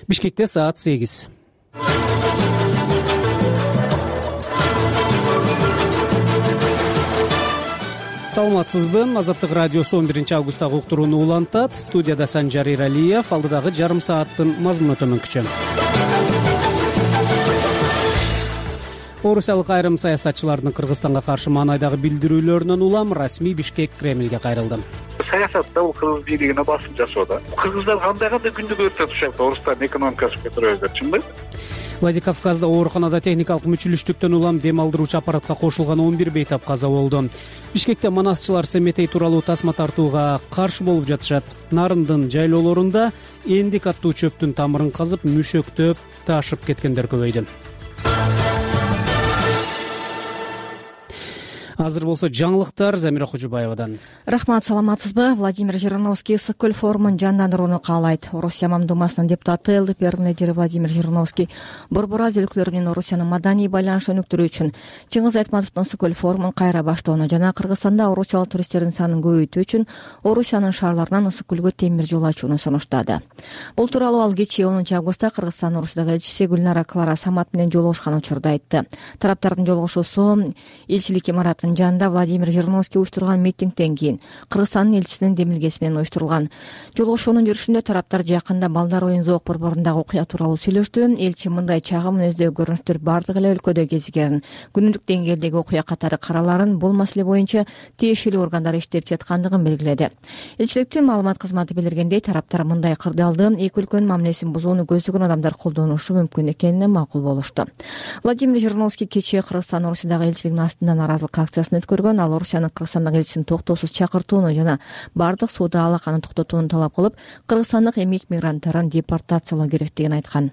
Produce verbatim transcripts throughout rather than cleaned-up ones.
Бишкекте саат сегиз. Саламатсызбы? Азаттык радиосу он биринчи августтагы уктурууну улантат. Студияда Санжар Иралиев. Алдыдагы жарым сааттын мазмуну төмөнкүчө. Орусиялык айрым саясатчылардын Кыргызстанга каршы маанайдагы билдирүүлөрүнөн улам расмий Бишкек Кремлге кайрылды. Саясатта бул кыргыз бийлигине басым жасоо да. Кыргыздар кандай кандай күндүк өртөп ушакта орустардын экономикасын көтөрөбүздөр, чынбы? Владикавказда ооруканада техникалык мүчүлүштүктөн улам дем алдыруучу аппаратка кошулган он бир бейтап каза болду. Бишкекте манасчылар Семетей тууралуу тасма тартууга каршы болуп жатышат. Нарындын жайлоолорунда эндик аттуу чөптүн тамырын казып мүшөктөп ташып кеткендер көбөйдү. Азыр болсо жаңылыктар Замира Кожубаевадан. Рахмат, саламатсызбы? Владимир Жириновский Ысык көл форумун жандандырууну каалайт. Орусия Мамдумасынын депутаты, ЛДПРдин лидери Владимир Жириновский Борбор Азия өлкөлөрү менен Орусиянын маданий байланыш өнүктүрүү үчүн Чыңгыз Айтматовдун Ысык көл форумун кайра баштоону жана Кыргызстанда орусиялык туристтердин санын көбөйтүү үчүн Орусиянын шаарларынан Ысык көлгө темир жол ачууну сунуштады. Бул тууралуу ал кечээ онунчу августта Кыргызстандын Орусиядагы элчиси Гүлнара Клара Самат менен жолугушкан учурда айтты. Тараптардын жолугушуусу элчилик имаратынын жанында Владимир Жириновский уюштурган митингден кийин Кыргызстандын элчисинин демилгеси менен уюштурулган. Жолугушуунун жүрүшүндө тараптар жакында балдар оюн зоок борборундагы окуя тууралуу сүйлөштү. Элчи мындай чагым мүнөздөөгө көрүнүштөр бардык эле өлкөдө кезигерин, күнүмдүк деңгээлдеги окуя катары караларын, бул маселе боюнча тиешелүү органдар иштеп жаткандыгын белгиледи. Элчиликтин маалымат кызматы билдиргендей, тараптар мындай кырдаалды эки өлкөнүн мамилесин бузууну көздөгөн адамдар колдонушу мүмкүн экенине макул болушту. Владимир Жириновский кечээ Кыргызстан Орусиядагы элчилигинин астында нааразылык акциясын өткөргөн. Ал Орусиянын Кыргызстандагы элчисин токтоосуз чакыртууну жана бардык соода алаканы токтотууну талап кылып, кыргызстандык эмгек мигранттарын депортациялоо керектигин айткан.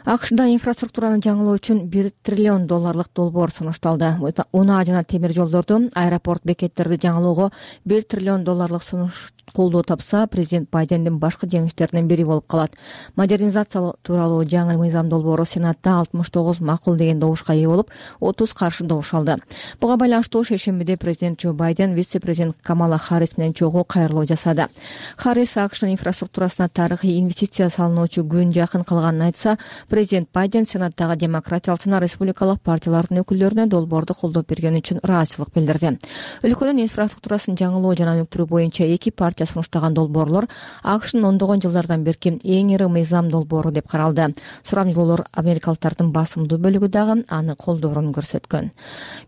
АКШда инфраструктураны жаңылоо үчүн бир триллион долларлык долбоор сунушталды. Унаа жана темир жолдорду, аэропорт бекеттерди жаңылоого бир триллион долларлык сунуш колдоо тапса, президент Байдендин башкы жеңиштеринин бири болуп калат. Модернизация тууралуу жаңы мыйзам долбоору Сенатта алтымыш тогуз макул деген добушка ээ болуп, отуз каршы добуш алды. Буга байланыштуу шейшембиде президент Джо Байден вице-президент Камала Харрис менен чогуу кайрылуу жасады. Харрис АКШнын инфраструктурасына тарыхый инвестиция салынуучу күн жакын калганын айтса, президент Байден Сенаттагы демократиялык жана республикалык партиялардын өкүлдөрүнө долбоорду колдоп бергени үчүн ыраазычылык билдирди. Өлкөнүн инфраструктурасын жаңылоо жана өнүктүрүү боюнча эки партия сунуштаган долбоорлор АКШнын ондогон жылдардан берки эң ири мыйзам долбоору деп каралды. Сурамжылоолор америкалыктардын басымдуу бөлүгү дагы аны колдоорун көрсөткөн.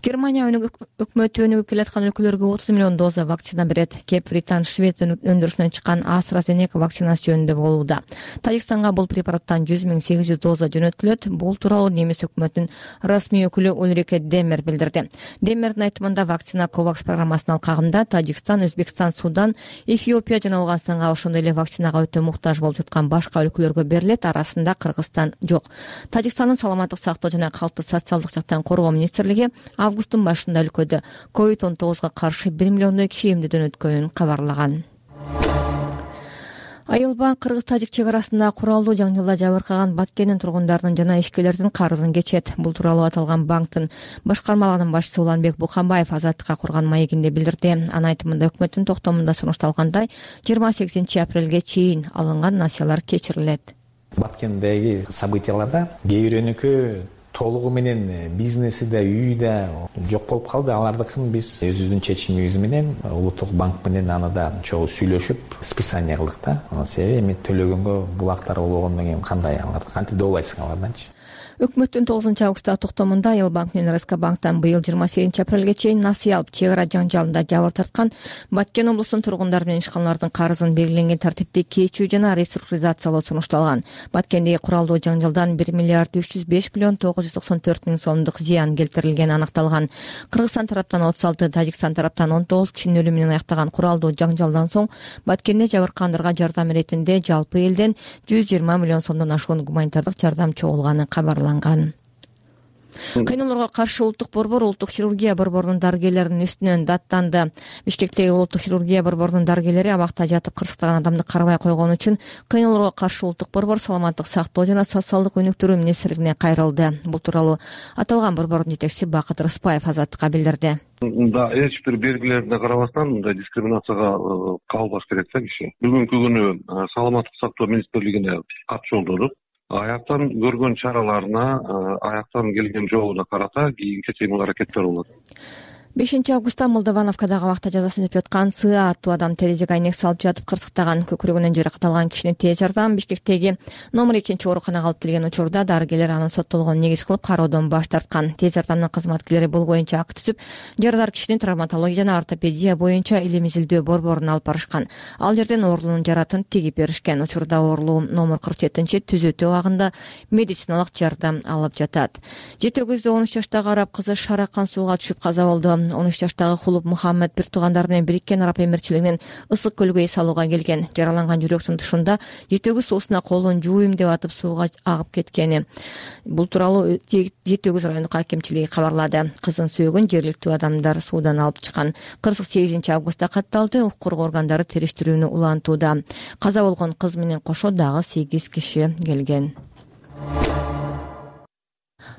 Германия өкмөтү өнүгүп келаткан өлкөлөргө отуз миллион доза вакцина берет. Кеп Британ, Швед өндүрүшүнөн чыккан AstraZeneca вакцинасы жөнүндө болууда. Тажикстанга бул препараттан жүз миң сегиз жүз доза жөнөтүлөт. Бул тууралуу немис өкмөтүнүн расмий өкүлү Ульрике Демер билдирди. Демердин айтымында вакцина COVAX программасынын алкагында Тажикстан, Өзбекстан, Судан, Эфиопия жана Ауганстанга ошондой эле вакцинага өтө муктаж болуп жаткан башка өлкөлөргө берилет. Арасында Кыргызстан жок. Тажикстандын саламаттык сактоо жана калкты социалдык жактан коргоо министрлиги августтун башында өлкөдө ковид он тогузга каршы бир миллиондой киши эмдөөдөн өткөнүн кабарлаган. Айылбанк кыргыз-тажик чек арасында куралдуу жаңжалда жабыркаган Баткендин тургундарынын жана ишкерлердин карызын кечет. Бул тууралуу аталган банктын башкармалыгынын башчысы Уланбек Буканбаев Азаттыкка курган маегинде билдирди. Анын айтымында өкмөттүн токтомунда сунушталгандай жыйырма сегизинчи апрелге чейин алынган насыялар кечирилет. Баткендеги событияларда кээ бир өнүкөө толугу менен бизнеси да, үйү да жок болуп калды. Алардыкын биз өзүбүздүн чечимибиз менен Улуттук банк менен аны да чогуу сүйлөшүп списание кылдык да. Себеби эми төлөгөнгө булактар болгондон кийин кандай аларды кантип добулайсың аларданчы? Өкмөттүн тогузунчу августтагы токтомунда Айылбанк менен РСК банктан быйыл жыйырма сегизинчи апрелге чейин насыя алып, чек ара жаңжалында жабыр тарткан Баткен облусунун тургундары менен ишканалардын карызын белгиленген тартипте кечүү жана реструктуризациялоо сунушталган. Баткендеги куралдуу жаңжалдан бир миллиард үч жүз беш миллион тогуз жүз токсон төрт миң сомдук зыян келтирилгени аныкталган. Кыргызстан тараптан отуз алты, Тажикстан тараптан он тогуз кишинин өлүмү менен аяктаган куралдуу жаңжалдан соң Баткенде жабыркагандарга жардам иретинде жалпы элден жүз жыйырма миллион сомдон ашуун гуманитардык жардам чогулганы кабарланган. Кыйноолорго каршы улуттук борбор улуттук хирургия борборунун дарыгерлеринин үстүнөн даттанды. Бишкектеги улуттук хирургия борборунун дарыгерлери абакта жатып кырсыктаган адамды карабай койгон үчүн кыйноолорго каршы улуттук борбор саламаттык сактоо жана социалдык өнүктүрүү министрлигине кайрылды. Бул тууралуу аталган борбордун жетекчиси Бакыт Рыспаев Азаттыкка билдирди. Да, эч бир белгилерине карабастан мындай дискриминацияга кабылбаш керек да киши. Бүгүнкү күнү саламаттык сактоо министрлигине кат жолдодук. Аяктан көргөн чараларына, аяктан келген жообуна карата кийинки кыймыл аракеттер болот. бешинчи августта Молдовановкадагы абакта жазасын өтүп жаткан Сыа аттуу адам терезеге айнек салып жатып кырсыктаган, көкүрөгүнөн жаракат алган кишини тез жардам Бишкектеги номер экинчи ооруканага алып келген учурда дарыгерлер анын соттолгонун негиз кылып кароодон баш тарткан. Тез жардамдын кызматкерлери бул боюнча акт түзүп, жарадар кишини травматология жана ортопедия боюнча илим изилдөө борборуна алып барышкан. Ал жерден оорулуунун жаратын тигип беришкен. Учурда оорулуу номер кырк жетинчи түзөтүү абагында медициналык жардам алып жатат. жети өгүздө он үч жаштагы араб кызы шаракан сууга түшүп каза болду. он үч жаштагы Хулуп Мухаммед бир туугандары менен Бириккен Араб Эмирчилигинин Ысык көлгө эс алууга келген. Жараланган жүрөктүн тушунда жети өгүз суусуна колун жууйм деп атып сууга агып кеткени. Бул тууралуу жети өгүз райондук акимчилиги кабарлады. Кызын сөөгүн жергиликтүү адамдар суудан алып чыккан. кырк сегизинчи августта катталды. Укук коргоо органдары териштирүүнү улантууда. Каза болгон кыз менен кошо дагы сегиз киши келген.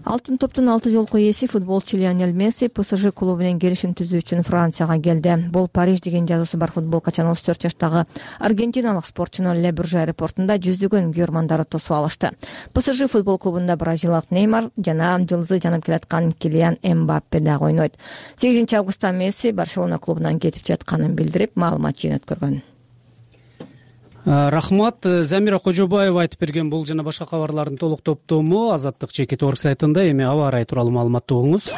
Алтын топтун алты жолку ээси футболчу Лионель Месси ПСЖ клубу менен келишим түзүү үчүн Францияга келди. Бул Париж деген жазуусу бар футболкачан отуз төрт жаштагы аргентиналык спортчуну Ле Бурж аэропортунда жүздөгөн көрмандары тосуп алышты. ПСЖ футбол клубунда бразилиялык Неймар жана жылдызы жанып келаткан Килиан Эмбаппе дагы ойнойт. сегизинчи августта Месси Барселона клубунан кетип жатканын билдирип, маалымат жыйнаткөргөн. Рахмат. Замира Кожобаева айтып берген бул жана башка кабарлардын толук топтому Азаттык чекит орг сайтында. Эми аба ырайы тууралуу маалыматты угуңуз.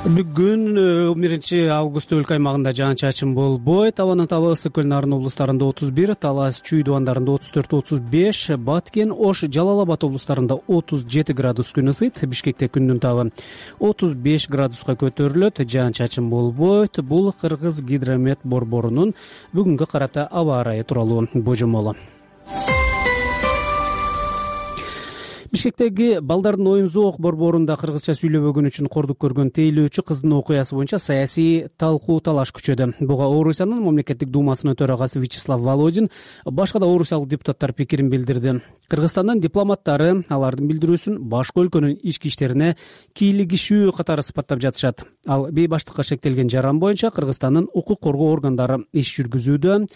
Бүгүн он биринчи август өлкө аймагында жаан-чачын болбойт. Абанын табы ысык көл Нарын облустарында отуз бир, Талас Чүй дубандарында отуз төрт отуз беш, Баткен Ош Жалал Абад облустарында отуз жети градус күн ысыйт. Бишкекте күндүн табы отуз беш градуска көтөрүлөт. Жаан-чачын болбойт. Бул Кыргыз гидромет борборунун бүгүнгө карата аба ырайы тууралуу божомолу. Бишкектеги балдардын оюн зоок борборунда кыргызча сүйлөбөгөн үчүн кордук көргөн тейлөөчү кыздын окуясы боюнча саясий талкуу талаш күчөдү. Буга Орусиянын мамлекеттик думасынын төрагасы Вячеслав Володин, башка да орусиялык депутаттар пикирин билдирди. Кыргызстандын дипломаттары алардын билдирүүсүн башка өлкөнүн ички иштерине кийлигишүү катары сыпаттап жатышат. Ал бейбаштыкка шектелген жаран боюнча Кыргызстандын укук коргоо органдары иш жүргүзүүдө.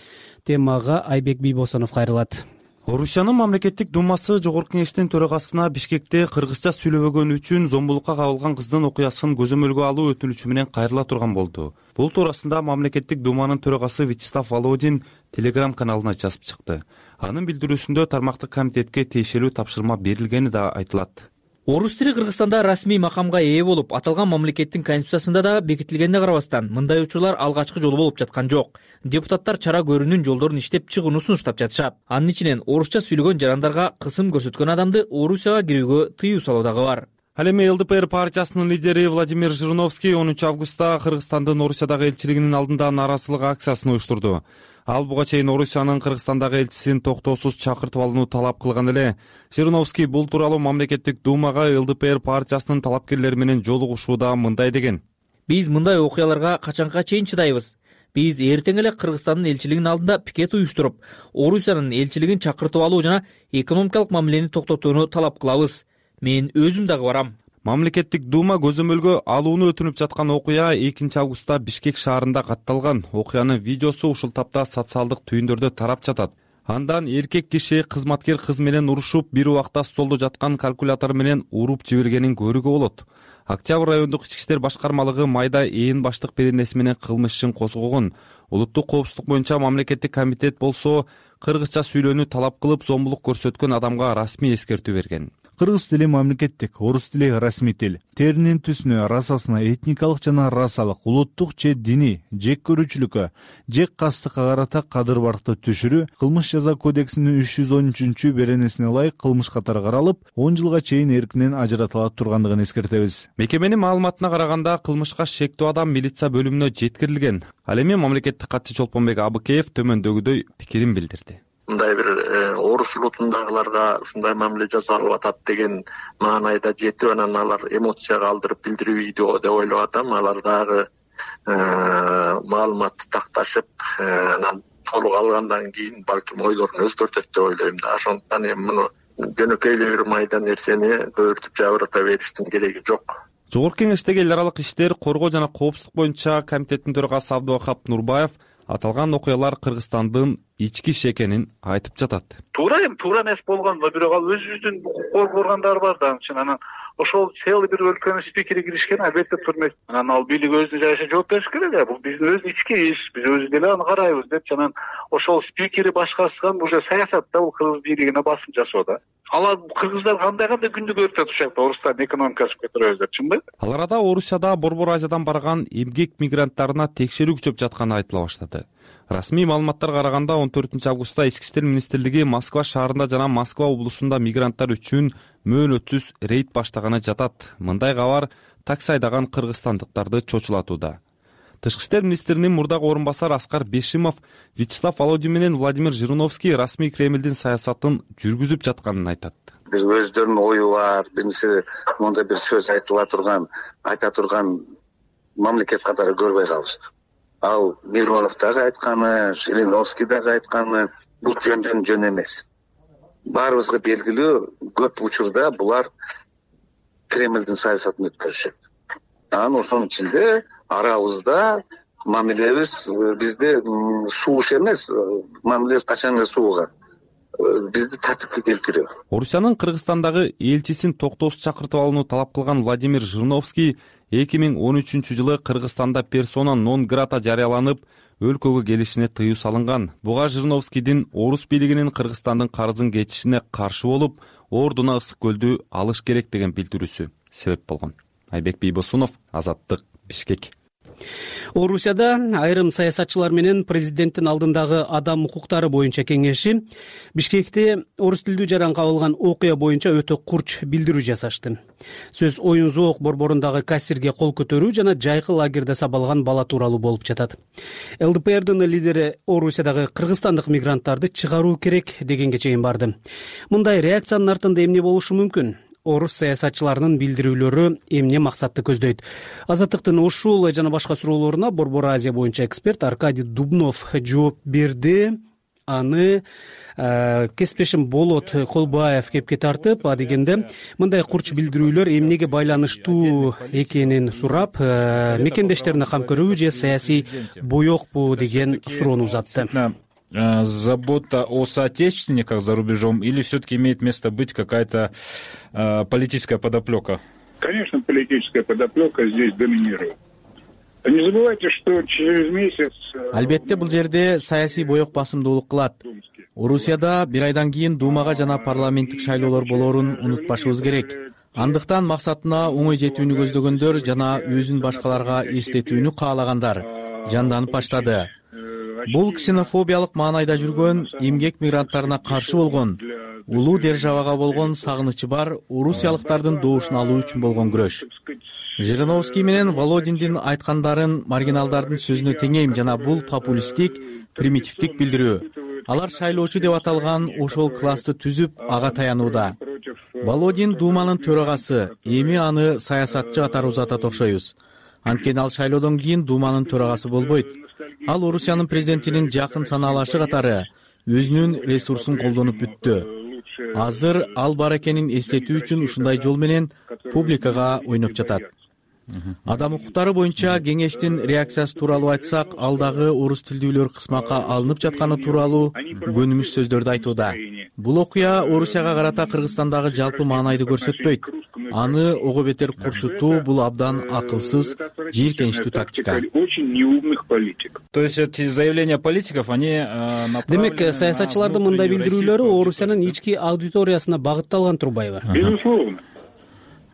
Темага Айбек Бийбосонов кайрылат. Орусиянын мамлекеттик думасы жогорку кеңештин төрагасына Бишкекте кыргызча сүйлөбөгөн үчүн зомбулукка кабылган кыздын окуясын көзөмөлгө алуу өтүнүчү менен кайрыла турган болду. Бул туурасында мамлекеттик думанын төрагасы Вячеслав Володин Телеграм каналына жазып чыкты. Анын билдирүүсүндө тармактык комитетке тиешелүү тапшырма берилгени да айтылат. Орус тили Кыргызстанда расмий макамга ээ болуп, аталган мамлекеттин конституциясында да бекитилгенине карабастан, мындай учурлар алгачкы жолу болуп жаткан жок. Депутаттар чара көрүүнүн жолдорун иштеп чыгууну сунуштап жатышат. Анын ичинен орусча сүйлөгөн жарандарга кысым көрсөткөн адамды Орусияга кирүүгө тыюу салуу дагы бар. Ал эми ЛДПР партиясынын лидери Владимир Жириновский онунчу августта Кыргызстандын Орусиядагы элчилигинин алдында нааразычылык акциясын уюштурду. Ал буга чейин Орусиянын Кыргызстандагы элчисин токтоосуз чакыртып алууну талап кылган эле. Жириновский бул тууралуу мамлекеттик думага ЛДПР партиясынын талапкерлери менен жолугушууда мындай деген: Биз мындай окуяларга качанга чейин чыдайбыз? Биз эртең эле Кыргызстандын элчилигинин алдында пикет уюштуруп, Орусиянын элчилигин чакыртып алуу жана экономикалык мамилени токтотууну талап кылабыз. Мен өзүм дагы барам. Мамлекеттик дума көзөмөлгө алууну өтүнүп жаткан окуя экинчи августта Бишкек шаарында катталган. Окуянын видеосу ушул тапта социалдык түйүндөрдө тарап жатат. Андан эркек киши кызматкер кыз менен урушуп, бир убакта столдо жаткан калькулятор менен уруп жибергенин көрүүгө болот. Октябрь райондук ички иштер башкармалыгы майда ээн баштык беренеси менен кылмыш ишин козгогон. Улуттук коопсуздук боюнча мамлекеттик комитет болсо кыргызча сүйлөөнү талап кылып, зомбулук көрсөткөн адамга расмий эскертүү берген. Кыргыз тили мамлекеттик, орус тили расмий тил. Теринин түсүнө, расасына, этникалык жана расалык, улуттук же диний, жек көрүүчүлүккө, жек кастыкка карата кадыр баркты түшүрүү кылмыш жаза кодексинин үч жүз он үчүнчү беренесине ылайык кылмыш катары каралып, он жылга чейин эркинен ажыратыла тургандыгын эскертебиз. Мекеменин маалыматына караганда кылмышка шектүү адам милиция бөлүмүнө жеткирилген. Ал эми мамлекеттик катчы Чолпонбек Абыкеев төмөндөгүдөй пикирин билдирди. Мындай бир орус улутундагыларга ушундай мамиле жасалып атат деген маанайда жетип, анан алар эмоцияга алдырып билдирүү видео деп ойлоп атам. Алар дагы маалыматты такташып, анан толук алгандан кийин балким ойлорун өзгөртөт деп ойлойм да. Ошондуктан эми муну жөнөкөй эле бир майда нерсени көбүртүп жабырата бериштин кереги жок. Жогорку Кеңештеги эл аралык иштер, коргоо жана коопсуздук боюнча комитеттин төрагасы Абдывахап Нурбаев аталган окуялар Кыргызстандын ички иши экенин айтып жатат. Туура эми туура эмес болгон, бирок ал өзүбүздүн укук органдар бар да, анан анан ошол целый бир өлкөнүн спикери киришкен, албетте турмес. Анан ал бийлик өзүнүн жайына жооп бериш керек эле. Бул биздин өз ички иш, биз өзүбүз деле аны карайбыз деп, анан ошол спикери башкарышкан уже саясатта бул кыргыз бийлигине басым жасоо да. Алар кыргыздар кандай кандай күндү көрүп атат ушакта, орустардын экономикасы көтөрөбүз деп, чынбы? Ал арада Орусияда Борбор Азиядан барган эмгек мигранттарына текшерүү күчөп жатканы айтыла баштады. Расмий маалыматтарга караганда он төртүнчү августта Ички иштер министрлиги Москва шаарында жана Москва облусунда мигранттар үчүн мөөнөтсүз рейд баштаганы жатат. Мындай кабар такси айдаган кыргызстандыктарды чочулатууда. Тышкы иштер министринин мурдагы орун басары Аскар Бешимов Вячеслав Володин менен Владимир Жириновский расмий Кремлдин саясатын жүргүзүп жатканын айтат. Бир өздөрүнүн ою бар, биринчи мондай бир сөз айтыла турган, айта турган мамлекет катары көрбөй калышты. Ал Миронов дагы айтканы, Жириновский дагы айтканы, бул жөндөн жөн эмес. Баарыбызга белгилүү, көп учурда булар Кремлдин саясатын өткөрүшөт. Анан ошонун ичинде арабызда мамилебиз бизде сууш эмес, мамилебиз качан эле сууган. Бизди тартипке келтирүү. Орусиянын Кыргызстандагы элчисин токтоосуз чакыртып алууну талап кылган Владимир Жириновский эки миң он үчүнчү жылы Кыргызстанда персона нон грата жарыяланып, өлкөгө келишине тыюу салынган. Буга Жириновскийдин орус бийлигинин Кыргызстандын карызын кечишине каршы болуп, ордуна Ысык көлдү алыш керек деген билдирүүсү себеп болгон. Айбек Бийбосунов, Азаттык, Бишкек. Орусияда айрым саясатчылар менен президенттин алдындагы адам укуктары боюнча кеңеши Бишкекте орус тилдүү жаран кабылган окуя боюнча өтө курч билдирүү жасашты. Сөз оюн зоок борборундагы кассирге кол көтөрүү жана жайкы лагерде сабалган бала тууралуу болуп жатат. ЛДПРдин лидери Орусиядагы кыргызстандык мигранттарды чыгаруу керек дегенге чейин барды. Мындай реакциянын артында эмне болушу мүмкүн? Орус саясатчыларынын билдирүүлөрү эмне максатты көздөйт? Азаттыктын ушул жана башка суроолоруна Борбор Азия боюнча эксперт Аркадий Дубнов жооп берди. Аны кесиптешим Болот Колбаев кепке тартып, а дегенде мындай курч билдирүүлөр эмнеге байланыштуу экенин сурап, мекендештерине кам көрүүбү же саясий боекпу деген суроону узатты. Забота о соотечественниках за рубежом или все-таки имеет место быть какая-то э, политическая подоплека? Конечно, политическая подоплека здесь доминирует. Не забывайте, что через месяц... Албетте бул жерде саясий боек басымдуулук кылат. Орусияда бир айдан кийин Думага жана парламенттик шайлоолор болоорун унутпашыбыз керек. Андыктан максатына оңой жетүүнү көздөгөндөр жана өзүн башкаларга эстетүүнү каалагандар жанданып баштады. Бул ксенофобиялык маанайда жүргөн, эмгек мигранттарына каршы болгон, улуу державага болгон сагынычы бар орусиялыктардын добушун алуу үчүн болгон күрөш. Жириновский менен Володиндин айткандарын маргиналдардын сөзүнө теңейм жана бул популисттик, примитивдик билдирүү. Алар шайлоочу деп аталган ошол классты түзүп, ага таянууда. Володин Думанын төрагасы, эми аны саясатчы катары узатат окшойбуз. Анткени ал шайлоодон кийин Думанын төрагасы болбойт. Ал Орусиянын президентинин жакын санаалашы катары өзүнүн ресурсун колдонуп бүттү. Азыр ал бар экенин эстетүү үчүн ушундай жол менен публикага ойноп жатат. Адам укуктары боюнча кеңештин реакциясы тууралуу айтсак, ал дагы орус тилдүүлөр кысмакка алынып жатканы тууралуу көнүмүш сөздөрдү айтууда. Бул окуя Орусияга карата Кыргызстандагы жалпы маанайды көрсөтпөйт. Аны ого бетер курчутуу бул абдан акылсыз, жийиркеничтүү тактика. То есть эти заявления политиков, они Демек, саясатчылардын мындай билдирүүлөрү Орусиянын ички аудиториясына багытталган турбайбы? Безусловно.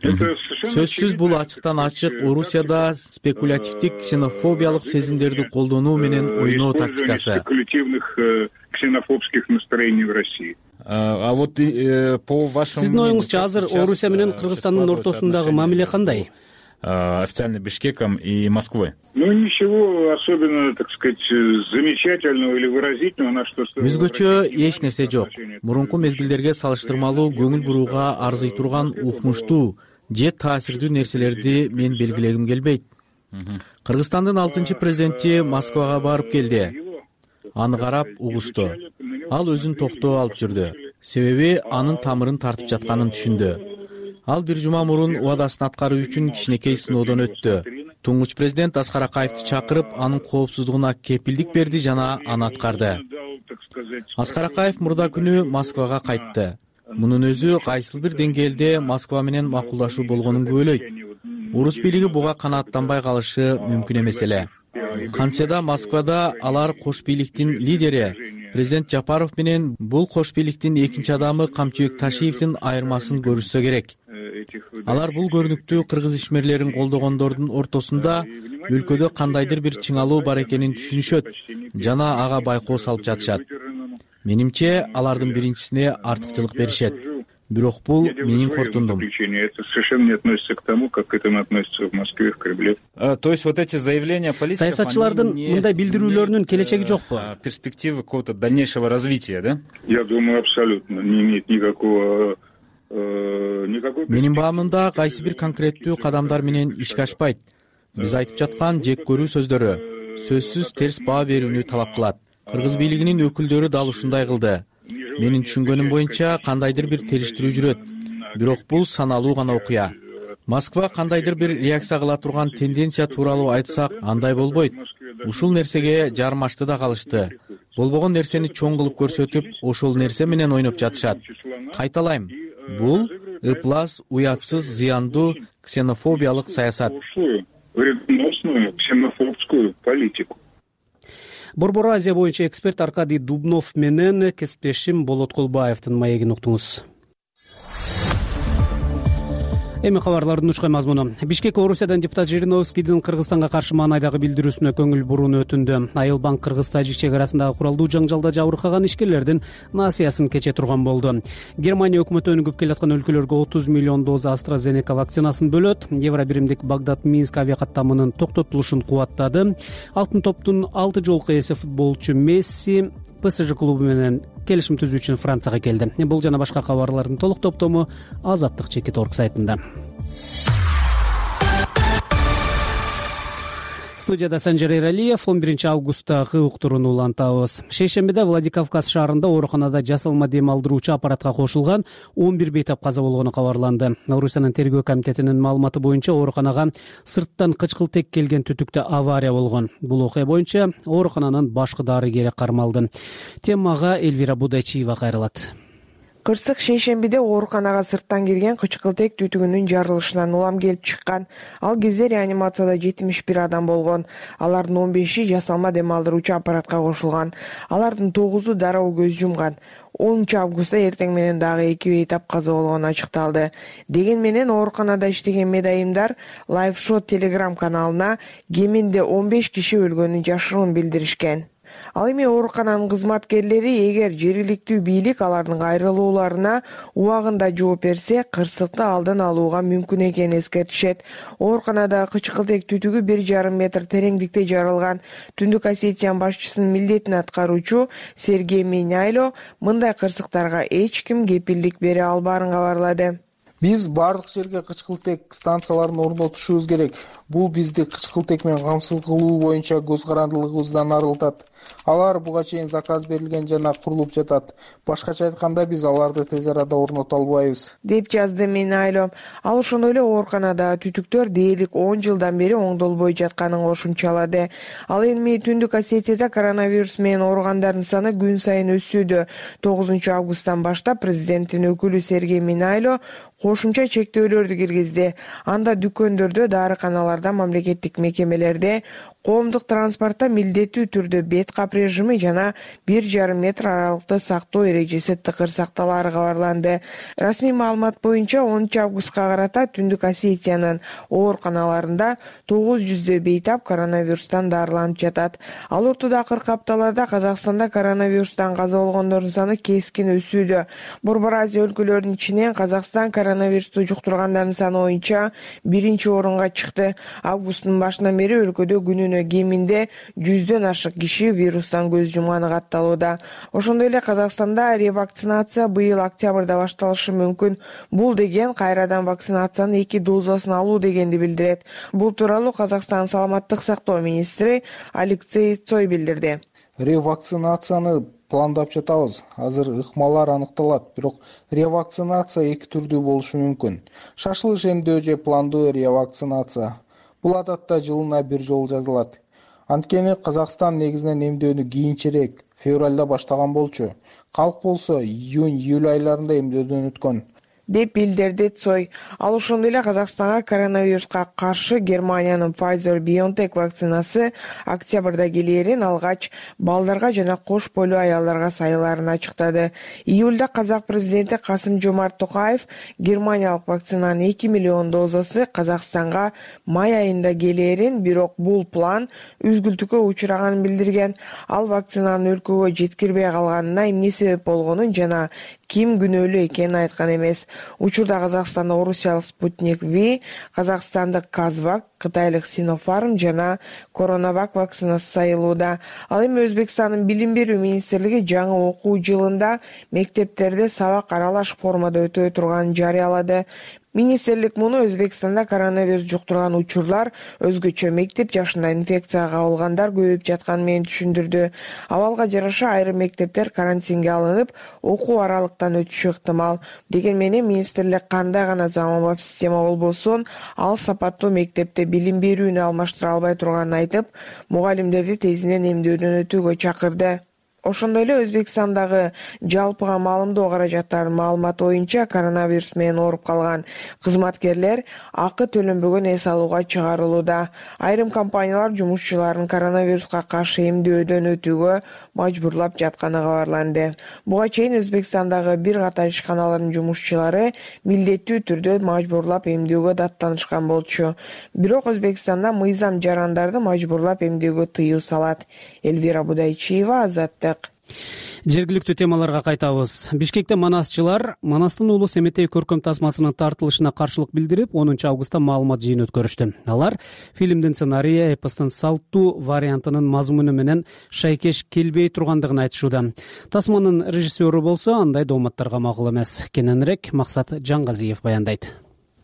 Сөзсүз бул ачыктан ачык Орусияда спекулятивдик ксенофобиялык сезимдерди колдонуу менен ойноо тактикасы. Спекулятивных ксенофобских настроений в России. А вот по вашему... Сиздин оюңузча азыр Орусия менен Кыргызстандын ортосундагы мамиле кандай? официально Бишкеком и Москвой? Ну, ничего особенно, так сказать, замечательного или выразительного, на что... Өзгөчө эч нерсе жок. Мурунку мезгилдерге салыштырмалуу көңүл бурууга арзый турган укмуштуу же таасирдүү нерселерди мен белгилегим келбейт. Кыргызстандын алтынчы президенти Москвага барып келди. Аны карап угушту. Ал өзүн токтоо алып жүрдү. Себеби анын тамырын тартып жатканын түшүндү. Ал бир жума мурун убадасын аткаруу үчүн кичинекей сыноодон өттү. Туңгуч президент Аскар Акаевди чакырып, анын коопсуздугуна кепилдик берди жана аны аткарды. Аскар Акаев мурда күнү Москвага кайтты. Мунун өзү кайсыл бир деңгээлде Москва менен макулдашуу болгонун күбөлөйт. Орус бийлиги буга канааттанбай калышы мүмкүн эмес эле. Кантсе да Москвада алар кош бийликтин лидери президент Жапаров менен бул кош бийликтин экинчи адамы Камчыбек Ташиевдин айырмасын көрүшсө керек. Алар бул көрүнүктүү кыргыз ишмерлерин колдогондордун ортосунда өлкөдө кандайдыр бир чыңалуу бар экенин түшүнүшөт жана ага байкоо салып жатышат. Менимче, алардын биринчисине артыкчылык беришет. Бирок бул менин корутундум. Это совершенно не относится к тому, как к этому относятся в Москве, в Кремле. То есть вот эти заявления политиков... Саясатчылардын мындай билдирүүлөрүнүн келечеги жокпу? Перспективы какого-то дальнейшего развития, да? Я думаю, абсолютно не имеет никакого... Менин баамымда кайсы бир конкреттүү кадамдар менен ишке ашпайт. Биз айтып жаткан жек көрүү сөздөрү сөзсүз терс баа берүүнү талап кылат. Кыргыз бийлигинин өкүлдөрү дал ушундай кылды. Менин түшүнгөнүм боюнча кандайдыр бир териштирүү жүрөт. Бирок бул саналуу гана окуя. Москва кандайдыр бир реакция кыла турган тенденция тууралуу айтсак, андай болбойт. Ушул нерсеге жармашты да калышты. Болбогон нерсени чоң кылып көрсөтүп, ошол нерсе менен ойноп жатышат. Кайталайм. Бул ыплас, уятсыз, зыяндуу ксенофобиялык саясат. Вредоносную ксенофобскую политику. Борбор Азия боюнча эксперт Аркадий Дубнов менен кесиптешим Болот Кулбаевдин маегин уктуңуз. Эми кабарлардын учкай мазмуну. Бишкек Орусиядан депутат Жириновскийдин Кыргызстанга каршы маанайдагы билдирүүсүнө көңүл бурууну өтүндү. Айыл банк кыргыз-тажик чек арасындагы куралдуу жаңжалда жабыркаган ишкерлердин насыясын кече турган болду. Германия өкмөтү өнүгүп келаткан өлкөлөргө отуз миллион доза AstraZeneca вакцинасын бөлөт. Евро биримдик Багдад-Минск авиакаттамынын токтотулушун кубаттады. Алтын топтун алты жолку ээси футболчу Месси ПСЖ клубу менен келишим түзүү үчүн Францияга келди. Бул жана башка кабарлардын толук топтому Азаттык чекит орг сайтында. Студияда Санжар Эралиев. он биринчи августтагы уктурууну улантабыз. Шейшембиде Владикавказ шаарында ооруканада жасалма дем алдыруучу аппаратка кошулган он бир бейтап каза болгону кабарланды. Орусиянын тергөө комитетинин маалыматы боюнча ооруканага сырттан кычкылтек келген түтүктө авария болгон. Бул окуя боюнча оорукананын башкы дарыгери кармалды. Темага Эльвира Будайчиева кайрылат. Кырсык шейшембиде ооруканага сырттан кирген кычкылтек түтүгүнүн жарылышынан улам келип чыккан. Ал кезде реанимацияда жетимиш бир адам болгон. Алардын он беши жасалма дем алдыруучу аппаратка кошулган. Алардын тогузу дароо көз жумган. онунчу августта эртең менен дагы эки бейтап каза болгону ачыкталды. Деген менен ооруканада иштеген медайымдар Live Shot Telegram каналына кеминде он беш киши өлгөнүн жашыруун билдиришкен. Ал эми оорукананын кызматкерлери эгер жергиликтүү бийлик алардын кайрылууларына убагында жооп берсе, кырсыкты алдын алууга мүмкүн экенин эскертишет. Ооруканада кычкылтек түтүгү бир жарым метр тереңдикте жарылган. Түндүк Осетиянын башчысынын милдетин аткаруучу Сергей Минайло мындай кырсыктарга эч ким кепилдик бере албаарын кабарлады. Биз бардык жерге кычкылтек станцияларын орнотушубуз керек. Бул бизди кычкылтек менен камсыз кылуу боюнча көз карандылыгыбыздан арылтат. Алар буга чейин заказ берилген жана курулуп жатат. Башкача айтканда, биз аларды тез арада орното албайбыз, деп жазды Минайло. Ал ошондой эле ооруканада түтүктөр дээрлик он жылдан бери оңдолбой жатканын кошумчалады. Ал эми Түндүк Осетияда коронавирус менен ооругандардын саны күн сайын өсүүдө. тогузунчу августтан баштап президенттин өкүлү Сергей Минайло кошумча чектөөлөрдү киргизди. Анда дүкөндөрдө, дарыканаларда, мамлекеттик мекемелерде коомдук транспортто милдеттүү түрдө бет кап режими жана бир жарым метр аралыкты сактоо эрежеси тыкыр сакталаары кабарланды. Расмий маалымат боюнча онунчу августка карата Түндүк Осетиянын ооруканаларында тогуз жүздөй бейтап коронавирустан дарыланып жатат. Ал ортодо акыркы апталарда Казакстанда коронавирустан каза болгондордун саны кескин өсүүдө. Борбор Азия өлкөлөрүнүн ичинен Казакстан коронавирусту жуктургандардын саны боюнча биринчи орунга чыкты. Августтун башынан бери өлкөдө күнүнө кеминде жүздөн ашык киши вирустан көз жумганы катталууда. Ошондой эле Казакстанда ревакцинация быйыл октябрда башталышы мүмкүн. Бул деген кайрадан вакцинациянын эки дозасын алуу дегенди билдирет. Бул тууралуу Казакстан саламаттык сактоо министри Алексей Цой билдирди. Ревакцинацияны пландап жатабыз. Азыр ыкмалар аныкталат, бирок ревакцинация эки түрдүү болушу мүмкүн. Шашылыш эмдөө же пландуу ревакцинация. Бул адатта жылына бир жолу жазылат. Анткени Казакстан негизинен эмдөөнү кийинчерээк, февралда баштаган болчу. Калк болсо июнь-июль айларында эмдөөдөн өткөн, деп билдирди Цой. Ал ошондой эле Казакстанга коронавируска каршы Германиянын Pfizer-BioNTech вакцинасы октябрда келээрин алгач балдарга жана кош бойлуу аялдарга сайыларын ачыктады. Июлда казак президенти Касым-Жомарт Токаев германиялык вакцинанын эки миллион дозасы Казакстанга май айында келээрин, бирок бул план үзгүлтүккө учураганын билдирген. Ал вакцинанын өлкөгө жеткирбей калганына эмне себеп болгонун жана ким күнөөлүү экенин айткан эмес. Учурда Казакстанда орусиялык Спутник V, казакстандык Казвак, кытайлык Синофарм жана Коронавак вакцинасы сайылууда. Ал эми Өзбекстандын билим берүү министрлиги жаңы окуу жылында мектептерде сабак аралаш формада өтө турганын жарыялады. Министрлик муну Өзбекстанда коронавирус жуктурган учурлар, өзгөчө мектеп жашында инфекцияга кабылгандар көбөйүп жатканы менен түшүндүрдү. Абалга жараша айрым мектептер карантинге алынып, окуу аралыктан өтүшү ыктымал. Деген менен министрлик кандай гана заманбап система болбосун, ал сапаттуу мектепте билим берүүнү алмаштыра албай турганын айтып, мугалимдерди тезинен эмдөөдөн өтүүгө чакырды. Ошондой эле Өзбекстандагы жалпыга маалымдоо каражаттарынын маалыматы боюнча коронавирус менен ооруп калган кызматкерлер акы төлөнбөгөн эс алууга чыгарылууда. Айрым компаниялар жумушчуларын коронавируска каршы эмдөөдөн өтүүгө мажбурлап жатканы кабарланды. Буга чейин Өзбекстандагы бир катар ишканалардын жумушчулары милдеттүү түрдө мажбурлап эмдөөгө даттанышкан болчу. Бирок Өзбекстанда мыйзам жарандарды мажбурлап эмдөөгө тыюу салат. Элвира Будайчиева, Азаттык. Жергиликтүү темаларга кайтабыз. Бишкекте манасчылар Манастын уулу Семетей көркөм тасмасынын тартылышына каршылык билдирип, онунчу августта маалымат жыйын өткөрүштү. Алар фильмдин сценарийи эпостун салттуу вариантынын мазмуну менен шайкеш келбей тургандыгын айтышууда. Тасманын режиссеру болсо андай дооматтарга макул эмес. Кененирээк Максат Жангазиев баяндайт.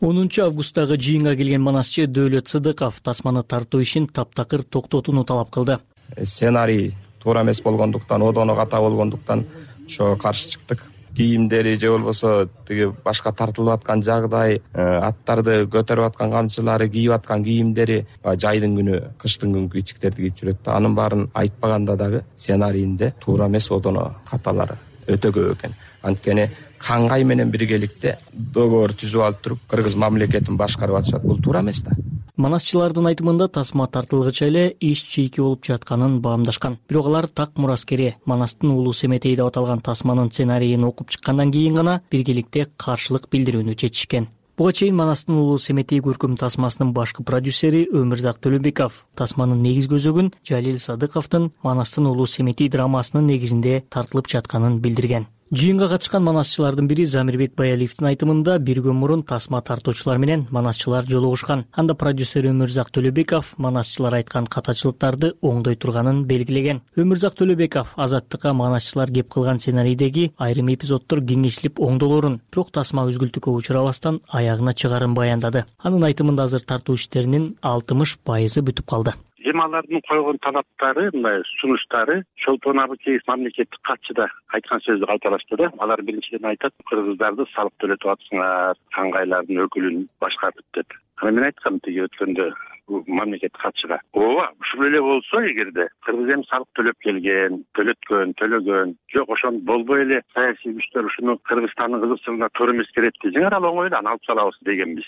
онунчу августтагы жыйынга келген манасчы Дөөлөт Сыдыков тасманы тартуу ишин таптакыр токтотууну талап кылды. Сценарий туура эмес болгондуктан, одоно ката болгондуктан ошого каршы чыктык. Кийимдери же болбосо тиги башка тартылып аткан жагдай, аттарды көтөрүп аткан камчылары, кийип аткан кийимдери жайдын күнү, кыштын күнкү ичиктерди кийип жүрөт да. Анын баарын айтпаганда дагы сценарийинде туура эмес одоно каталары өтө көп экен. Анткени Кангай менен биргеликте договор түзүп алып туруп, кыргыз мамлекетин башкарып атышат. Бул туура эмес да. Манасчылардын айтымында тасма тартылгыча эле иш чийки болуп жатканын баамдашкан. Бирок алар так мураскери Манастын уулу Семетей деп аталган тасманын сценарийин окуп чыккандан кийин гана биргеликте каршылык билдирүүнү чечишкен. Буга чейин Манастын уулу Семетей көркөм тасмасынын башкы продюсери Өмүрзак Төлөбеков тасманын негиз көзөгүн Жалил Садыковдун Манастын уулу Семетей драмасынын негизинде тартылып жатканын билдирген. Жыйынга катышкан манасчылардын бири Замирбек Баялиевдин айтымында бир күн мурун тасма тартуучулар менен манасчылар жолугушкан. Анда продюсер Өмүрзак Төлөбеков манасчылар айткан катачылыктарды оңдой турганын белгилеген. Өмүрзак Төлөбеков Азаттыкка манасчылар кеп кылган сценарийдеги айрым эпизоддор кеңештилип оңдолорун, бирок тасма үзгүлтүккө учурабастан аягына чыгарын баяндады. Анын айтымында азыр тартуу иштеринин алтымыш пайызы бүтүп калды. Алардын койгон талаптары, мындай сунуштары чолпон абыкеев мамлекеттик катчы да айткан сөздү кайталашты да. Алар биринчиден айтат, кыргыздарды салык төлөтүп атсыңар, кангайлардын өкүлүн башкартып деп. Ана мен айткам тиги өткөндө, мамлекеттик катчыга. Ооба, ушул эле болсо эгерде кыргыз эми салык төлөп келген, төлөткөн, төлөгөн, жок ошону болбой эле саясий күчтөр ушуну Кыргызстандын кызыкчылыгына туура эмес керетти, жеңер оңой эле аны алып салабыз дегенбиз.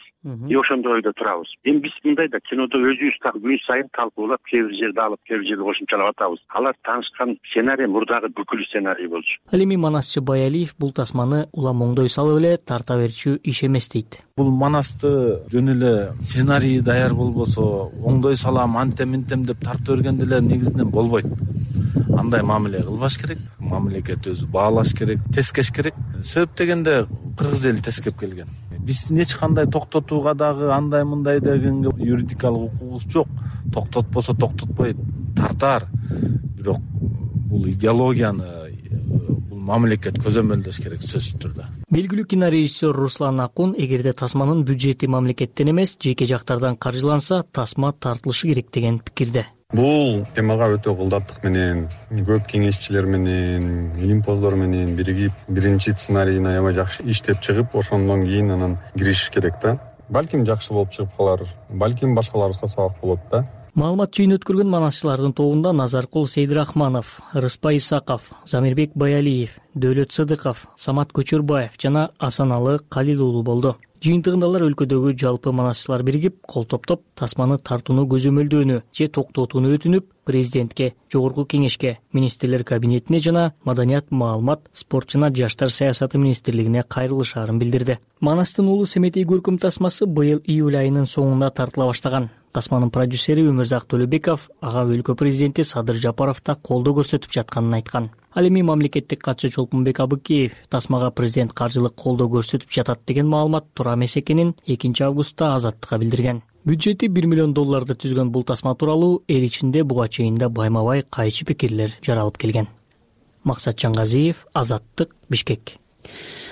И ошондой ойдо турабыз. Эми биз мындай да кинодо өзүбүз так күн сайын талкуулап, кээ бир жерде алып, кээ бир жерде кошумчалап атабыз. Алар таанышкан сценарий мурдагы бүкүл сценарий болчу. Ал эми Манасчы Баялиев бул тасманы улам оңдой салып эле тарта берчү иш эмес дейт. Бул Манасты жөн эле сценарий даяр болбосо, оңдой салам, антем минтем деп тарта бергенде эле негизинен болбойт. Андай мамиле кылбаш керек, мамлекет өзү баалаш керек, тескеш керек. Себеп дегенде кыргыз эли тескеп келген. Биздин эч кандай токтотууга дагы андай мындай дегенге юридикалык укугубуз жок. Токтотпосо токтотпой тартаар. Бирок бул идеологияны бул мамлекет көзөмөлдөш керек сөзсүз түрдө. Белгилүү кинорежиссер Руслан Акун эгерде тасманын бюджети мамлекеттен эмес, жеке жактардан каржыланса, тасма тартылышы керек деген пикирде. Бул темага өтө кылдаттык менен, көп кеңешчилер менен, илимпоздор менен биригип, биринчи сценарийин аябай жакшы иштеп чыгып, ошондон кийин анан киришиш керек да. Балким жакшы болуп чыгып калар, балким башкаларыбызга сабак болот да. Маалымат жыйын өткөргөн манасчылардын тобунда Назаркул Сейдирахманов, Рыспай Исаков, Замирбек Баялиев, Дөөлөт Сыдыков, Самат Көчөрбаев жана Асаналы Калил уулу болду. Жыйынтыгында алар өлкөдөгү жалпы манасчылар биригип, кол топтоп, тасманы тартууну көзөмөлдөөнү же токтотууну өтүнүп, президентке, жогорку кеңешке, министрлер кабинетине жана Маданият, маалымат, спорт жана жаштар саясаты министрлигине кайрылышаарын билдирди. Манастын уулу Семетей көркөм тасмасы быйыл июль айынын соңунда тартыла баштаган. Тасманын продюсери Өмүрзак Төлөбеков ага өлкө президенти Садыр Жапаров да колдоо көрсөтүп жатканын айткан. Ал эми мамлекеттик катчы Чолпонбек Абыкеев тасмага президент каржылык колдоо көрсөтүп жатат деген маалымат туура эмес экенин экинчи августта Азаттыкка билдирген. Бюджети бир миллион долларды түзгөн бул тасма тууралуу эл ичинде буга чейин да байма-бай кайчы пикирлер жаралып келген. Максат Чаңгазиев, Азаттык, Бишкек.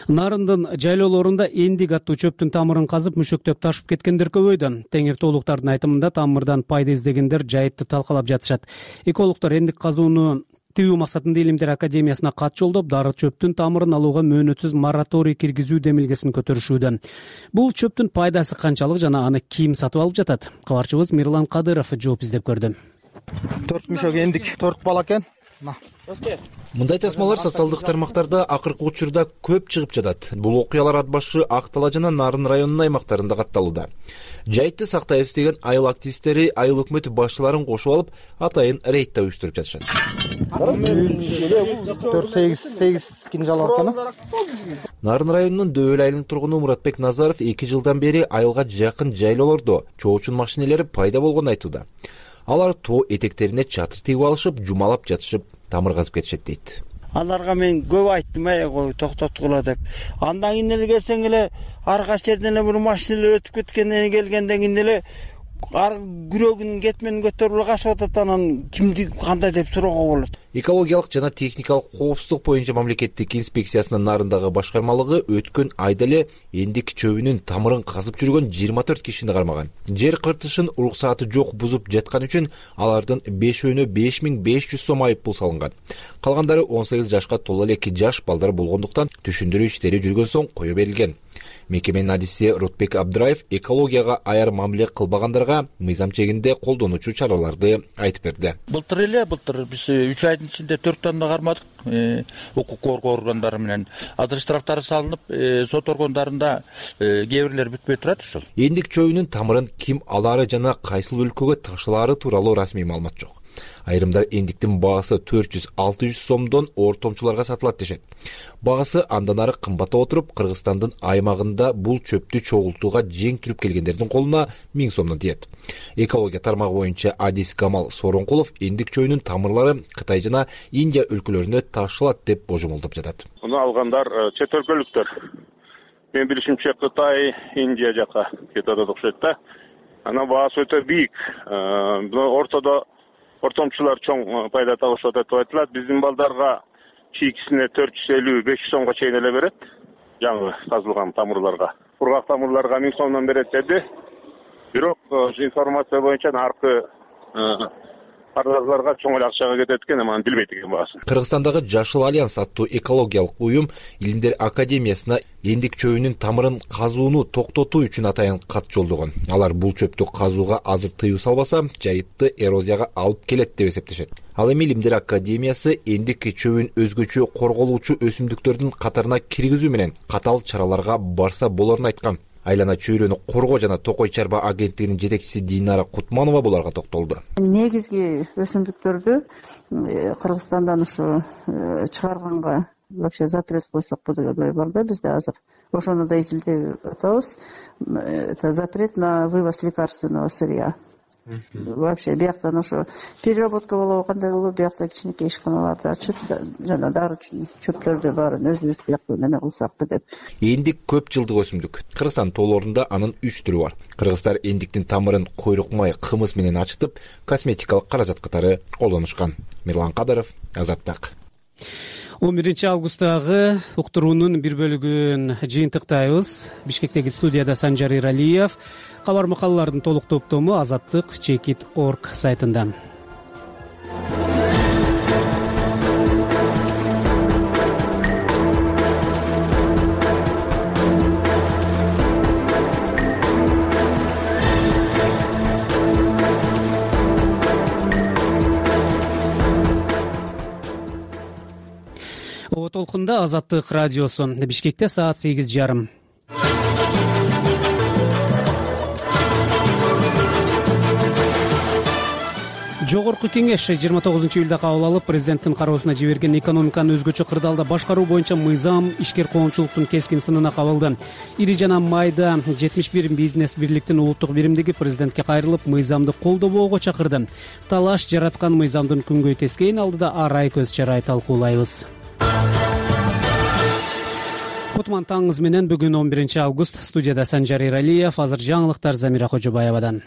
Нарындын жайлоолорунда эндик аттуу чөптүн тамырын казып мүшөктөп ташып кеткендер көбөйдү. Теңиртоолуктардын айтымында тамырдан пайда издегендер жайытты талкалап жатышат. Экологдор эндик казууну тыюу максатында Илимдер академиясына кат жолдоп, дары чөптүн тамырын алууга мөөнөтсүз мораторий киргизүү демилгесин көтөрүшүүдө. Бул чөптүн пайдасы канчалык жана аны ким сатып алып жатат? Кабарчыбыз Мирлан Кадыров жооп издеп көрдү. төрт мүшөк эндик, төрт бала экен. Мындай тасмалар социалдык тармактарда акыркы учурда көп чыгып жатат. Бул окуялар Ат башы, Ак Талаа жана Нарын районунун аймактарында катталууда. Жайтты сактайбыз деген айыл активисттери айыл өкмөтү башчыларын кошуп алып, атайын рейд уюштуруп жатышат. төрт сегиз кинжал бар экен. Нарын районунун Дөөл айылынын тургуну Муратбек Назаров эки жылдан бери айылга жакын жайлоолордо чоочун машинелери пайда болгонун айтууда. Алар тоо этектерине чатыр тигип алышып, жумалап жатышып, тамыр казып кетишет дейт. Аларга мен көп айттым, ой, токтоткула деп. Андан кийин эле келсең эле ар кайсы жерден эле бир машиналар өтүп кеткенден келгенден кийин эле ар күрөгүн кетменин көтөрүп качып атат, анан кимди кандай деп суроого болот. Экологиялык жана техникалык коопсуздук боюнча мамлекеттик инспекциясынын Нарындагы башкармалыгы өткөн айда эле эндик чөбүнүн тамырын казып жүргөн жыйырма төрт кишини кармаган. Жер кыртышын уруксааты жок бузуп жаткан үчүн алардын бешөөнө беш миң беш жүз сом айып пул салынган. Калгандары он сегиз жашка толо элеки жаш балдар болгондуктан түшүндүрүү иштери жүргөн соң кое берилген. Мекеменин адиси Рутбек Абдыраев экологияга аяр мамиле кылбагандарга мыйзам чегинде колдонуучу чараларды айтып берди. Былтыр эле былтыр биз үч айдын ичинде төрт тонна кармадык, укук коргоо органдары менен. Азыр штрафтары салынып, сот органдарында кээ бирлер бүтпөй турат ушул. Эндик чөбүнүн тамырын ким алаары жана кайсыл өлкөгө ташылаары тууралуу расмий маалымат жок. Айрымдар эндиктин баасы төрт жүз алты жүз сомдон ортомчуларга сатылат дешет. Баасы андан ары кымбаттап отуруп, Кыргызстандын аймагында бул чөптү чогултууга жең түрүп келгендердин колуна миң сомдон тиет. Экология тармагы боюнча адис Камал Соронкулов эндик чөбүнүн тамырлары Кытай жана Индия өлкөлөрүнө ташылат деп божомолдоп жатат. Муну алгандар чет өлкөлүктөр. Мен билишимче Кытай, Индия жака кетип атат окшойт да. Анан баасы өтө бийик. Ортодо ортомчулар чоң пайда табышып атат деп айтылат. Биздин балдарга чийкисине төрт жүз элүү беш жүз сомго чейин эле берет. Жаңы казылган тамырларга. Кургак тамырларга миң сомдон берет деди. Бирок информация боюнча наркы арзыларга чоң эле акчага кетет экен, эми аны билбейт экен баасын. Кыргызстандагы Жашыл альянс аттуу экологиялык уюм Илимдер академиясына эндик чөбүнүн тамырын казууну токтотуу үчүн атайын кат жолдогон. Алар бул чөптү казууга азыр тыюу салбаса, жайытты эрозияга алып келет деп эсептешет. Ал эми Илимдер академиясы эндик чөбүн өзгөчө корголуучу өсүмдүктөрдүн катарына киргизүү менен катаал чараларга барса болорун айткан. Айлана чөйрөнү коргоо жана токой чарба агенттигинин жетекчиси Динара Кутманова буларга токтолду. Негизги өсүмдүктөрдү Кыргызстандан ушу чыгарганга вообще запрет койсок деген ой бар да бизде азыр. Ошону да изилдеп атабыз. Это запрет на вывоз лекарственного сырья. Вообще бияктан ошо переработка болобу кандай болобу, биякта кичинекей ишканаларды ачып жана дары чөптөрдү баарын өзүбүз бияктуу неме кылсак деп. Эндик көп жылдык өсүмдүк. Кыргызстан тоолорунда анын үч түрү бар. Кыргыздар эндиктин тамырын койрук май, кымыз менен ачытып, косметикалык каражат катары колдонушкан. Мирлан Кадыров, Азаттык. он биринчи августтагы уктуруунун бир бөлүгүн жыйынтыктайбыз. Бишкектеги студияда Санжар Иралиев. Кабар макалалардын толук топтому азаттык чекит точка орг сайтында. О толкунда Азаттык радиосу. Бишкекте саат сегиз жарым. Жогорку кеңеш жыйырма тогузунчу июлда кабыл алып, президенттин кароосуна жиберген экономиканы өзгөчө кырдаалда башкаруу боюнча мыйзам ишкер коомчулуктун кескин сынына кабылды. Ири жана майда жетимиш бир бизнес бирликтин улуттук биримдиги президентке кайрылып, мыйзамды колдобоого чакырды. Талаш жараткан мыйзамдын күнгөй тескейин алдыда арай көз чарай талкуулайбыз. Кутман таңыңыз менен бүгүн он биринчи август. Студияда Санжар Иралиев, азыр жаңылыктар Замира Кожобаевадан.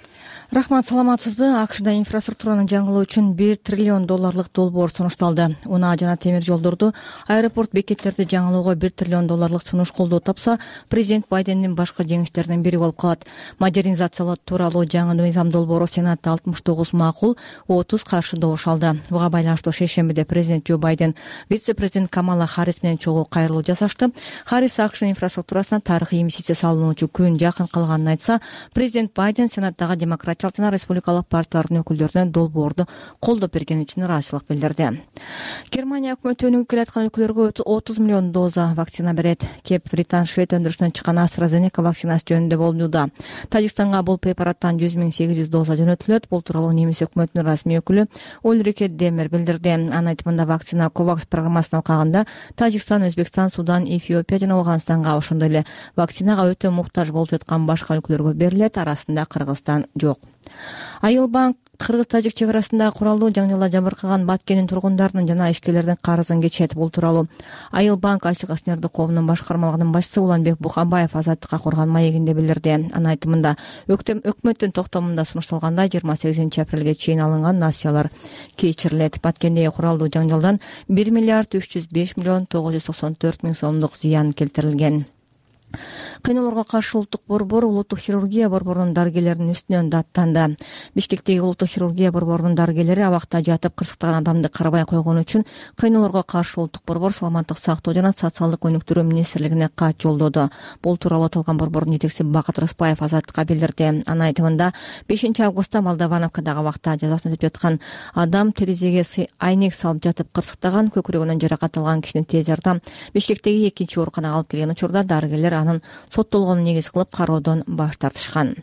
Рахмат, саламатсызбы? АКШда инфраструктураны жаңылоо үчүн бир триллион долларлык долбоор сунушталды. Унаа жана темир жолдорду, аэропорт бекеттерди жаңылоого бир триллион долларлык сунуш колдоо тапса, президент Байдендин башкы жеңиштеринин бири болуп калат. Модернизациялоо тууралуу жаңы мыйзам долбоору Сенатта алтымыш тогуз макул, отуз каршы добуш алды. Буга байланыштуу шейшембиде президент Джо Байден вице-президент Камала Харрис менен чогуу кайрылуу жасашты. Харрис АКШ инфраструктурасына тарыхый инвестиция салынуучу күн жакын калганын айтса, президент Байден Сенаттагы демократиялык жана республикалык партиялардын өкүлдөрүнө долбоорду колдоп бергени үчүн ыраазычылык билдирди. Германия өкмөтү өнүгүп келаткан өлкөлөргө отуз миллион доза вакцина берет. Кеп Британ Швед өндүрүшүнөн чыккан AstraZeneca вакцинасы жөнүндө болмууда. Тажикстанга бул препараттан жүз миң сегиз жүз доза жөнөтүлөт. Бул тууралуу немис өкмөтүнүн расмий өкүлү Ульрике Демер билдирди. Анын айтымында вакцина COVAX программасына алкаганда Тажикстан, Өзбекстан, Судан, Эфиопия жана Афганистанга, ошондой эле вакцинага өтө муктаж болуп жаткан башка өлкөлөргө берилет. Арасында Кыргызстан жок. Айыл банк кыргыз-тажик чек арасында куралдуу жаңылар жабыркаган Баткендин тургундарынын жана ишкерлердин карызын кечет. Бул тууралуу Айыл банк ачык акционердик коомунун башкармалыгынын башчысы Уланбек Бухабаев Азаттыкка курган маегинде билдирди. Анын айтымында өкмөттүн токтомунда сунушталгандай жыйырма сегизинчи апрелге чейин алынган насыялар кечирилет. Баткендеги куралдуу жаңылдан бир миллиард үч жүз беш миллион тогуз жүз токсон төрт миң сомдук зыян келтирилген. Кыйноолорго каршы улуттук борбор улуттук хирургия борборунун дарыгерлеринин үстүнөн даттанды. Бишкектеги улуттук хирургия борборунун дарыгерлери абакта жатып кырсыктаган адамды карабай койгону үчүн кыйноолорго каршы улуттук борбор саламаттык сактоо жана социалдык өнүктүрүү министрлигине кат жолдоду. Бул тууралуу аталган борбордун жетекчиси Бакыт Рыспаев Азаттыкка билдирди. Анын айтымында бешинчи августта Молдовановкадагы абакта жазасын өтөп жаткан адам терезеге айнек салып жатып кырсыктаган, көкүрөгүнөн жаракат алган кишини тез жардам Бишкектеги экинчи ооруканага алып келген учурда дарыгерлер анын соттолгонун негиз кылып кароодон баш тартышкан.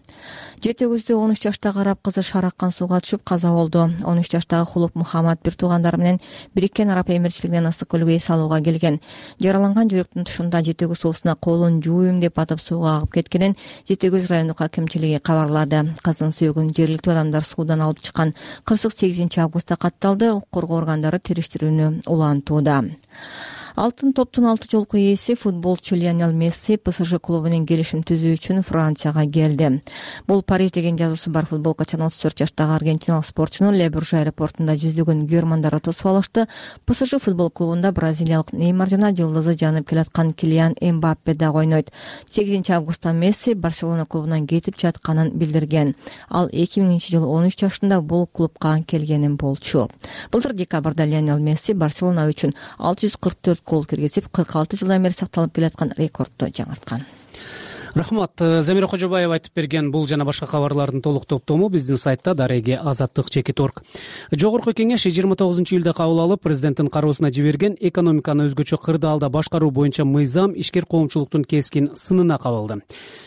Жети өгүздө он үч жаштагы араб кызы шараккан сууга түшүп каза болду. он үч жаштагы Хулуп Мухаммад бир туугандары менен Бириккен Араб Эмирчилигинен ысык көлгө эс алууга келген. Жараланган жүрөктүн тушунда жети өгүз суусуна колун жууйм деп атып сууга агып кеткенин жети өгүз райондук акимчилиги кабарлады. Кыздын сөөгүн жергиликтүү адамдар суудан алып чыккан. Кырсык сегизинчи августта катталды. Укук коргоо органдары териштирүүнү улантууда. алтын топтун алты жолку ээси футболчу Лионель Месси ПСЖ клубу менен келишим түзүү үчүн Францияга келди. Бул Париж деген жазуусу бар футболкачан отуз төрт жаштагы аргентиналык спортчуну Ле Бурж аэропортунда жүздөгөн көрмандар тосуп алышты. ПСЖ футбол клубунда бразилиялык Неймар жана жылдызы жанып келаткан Килиан Эмбаппе дагы ойнойт. сегизинчи августта Месси Барселона клубунан кетип жатканын билдирген. Ал эки миңинчи жылы он үч жашында бул клубка келгенин болчу. Былтыр декабрда Лионель Месси Барселона үчүн алты жүз кырк төрт гол киргизип, кырк алты жылдан бери сакталып келаткан рекордду жаңырткан. Рахмат. Замира Кожобаева айтып берген бул жана башка кабарлардын толук топтому биздин сайтта дареги азаттык чекит точка орг. Жогорку кеңеш жыйырма тогузунчу июлда кабыл алып, президенттин кароосуна жиберген экономиканы өзгөчө кырдаалда башкаруу боюнча мыйзам ишкер коомчулуктун кескин сынына кабылды.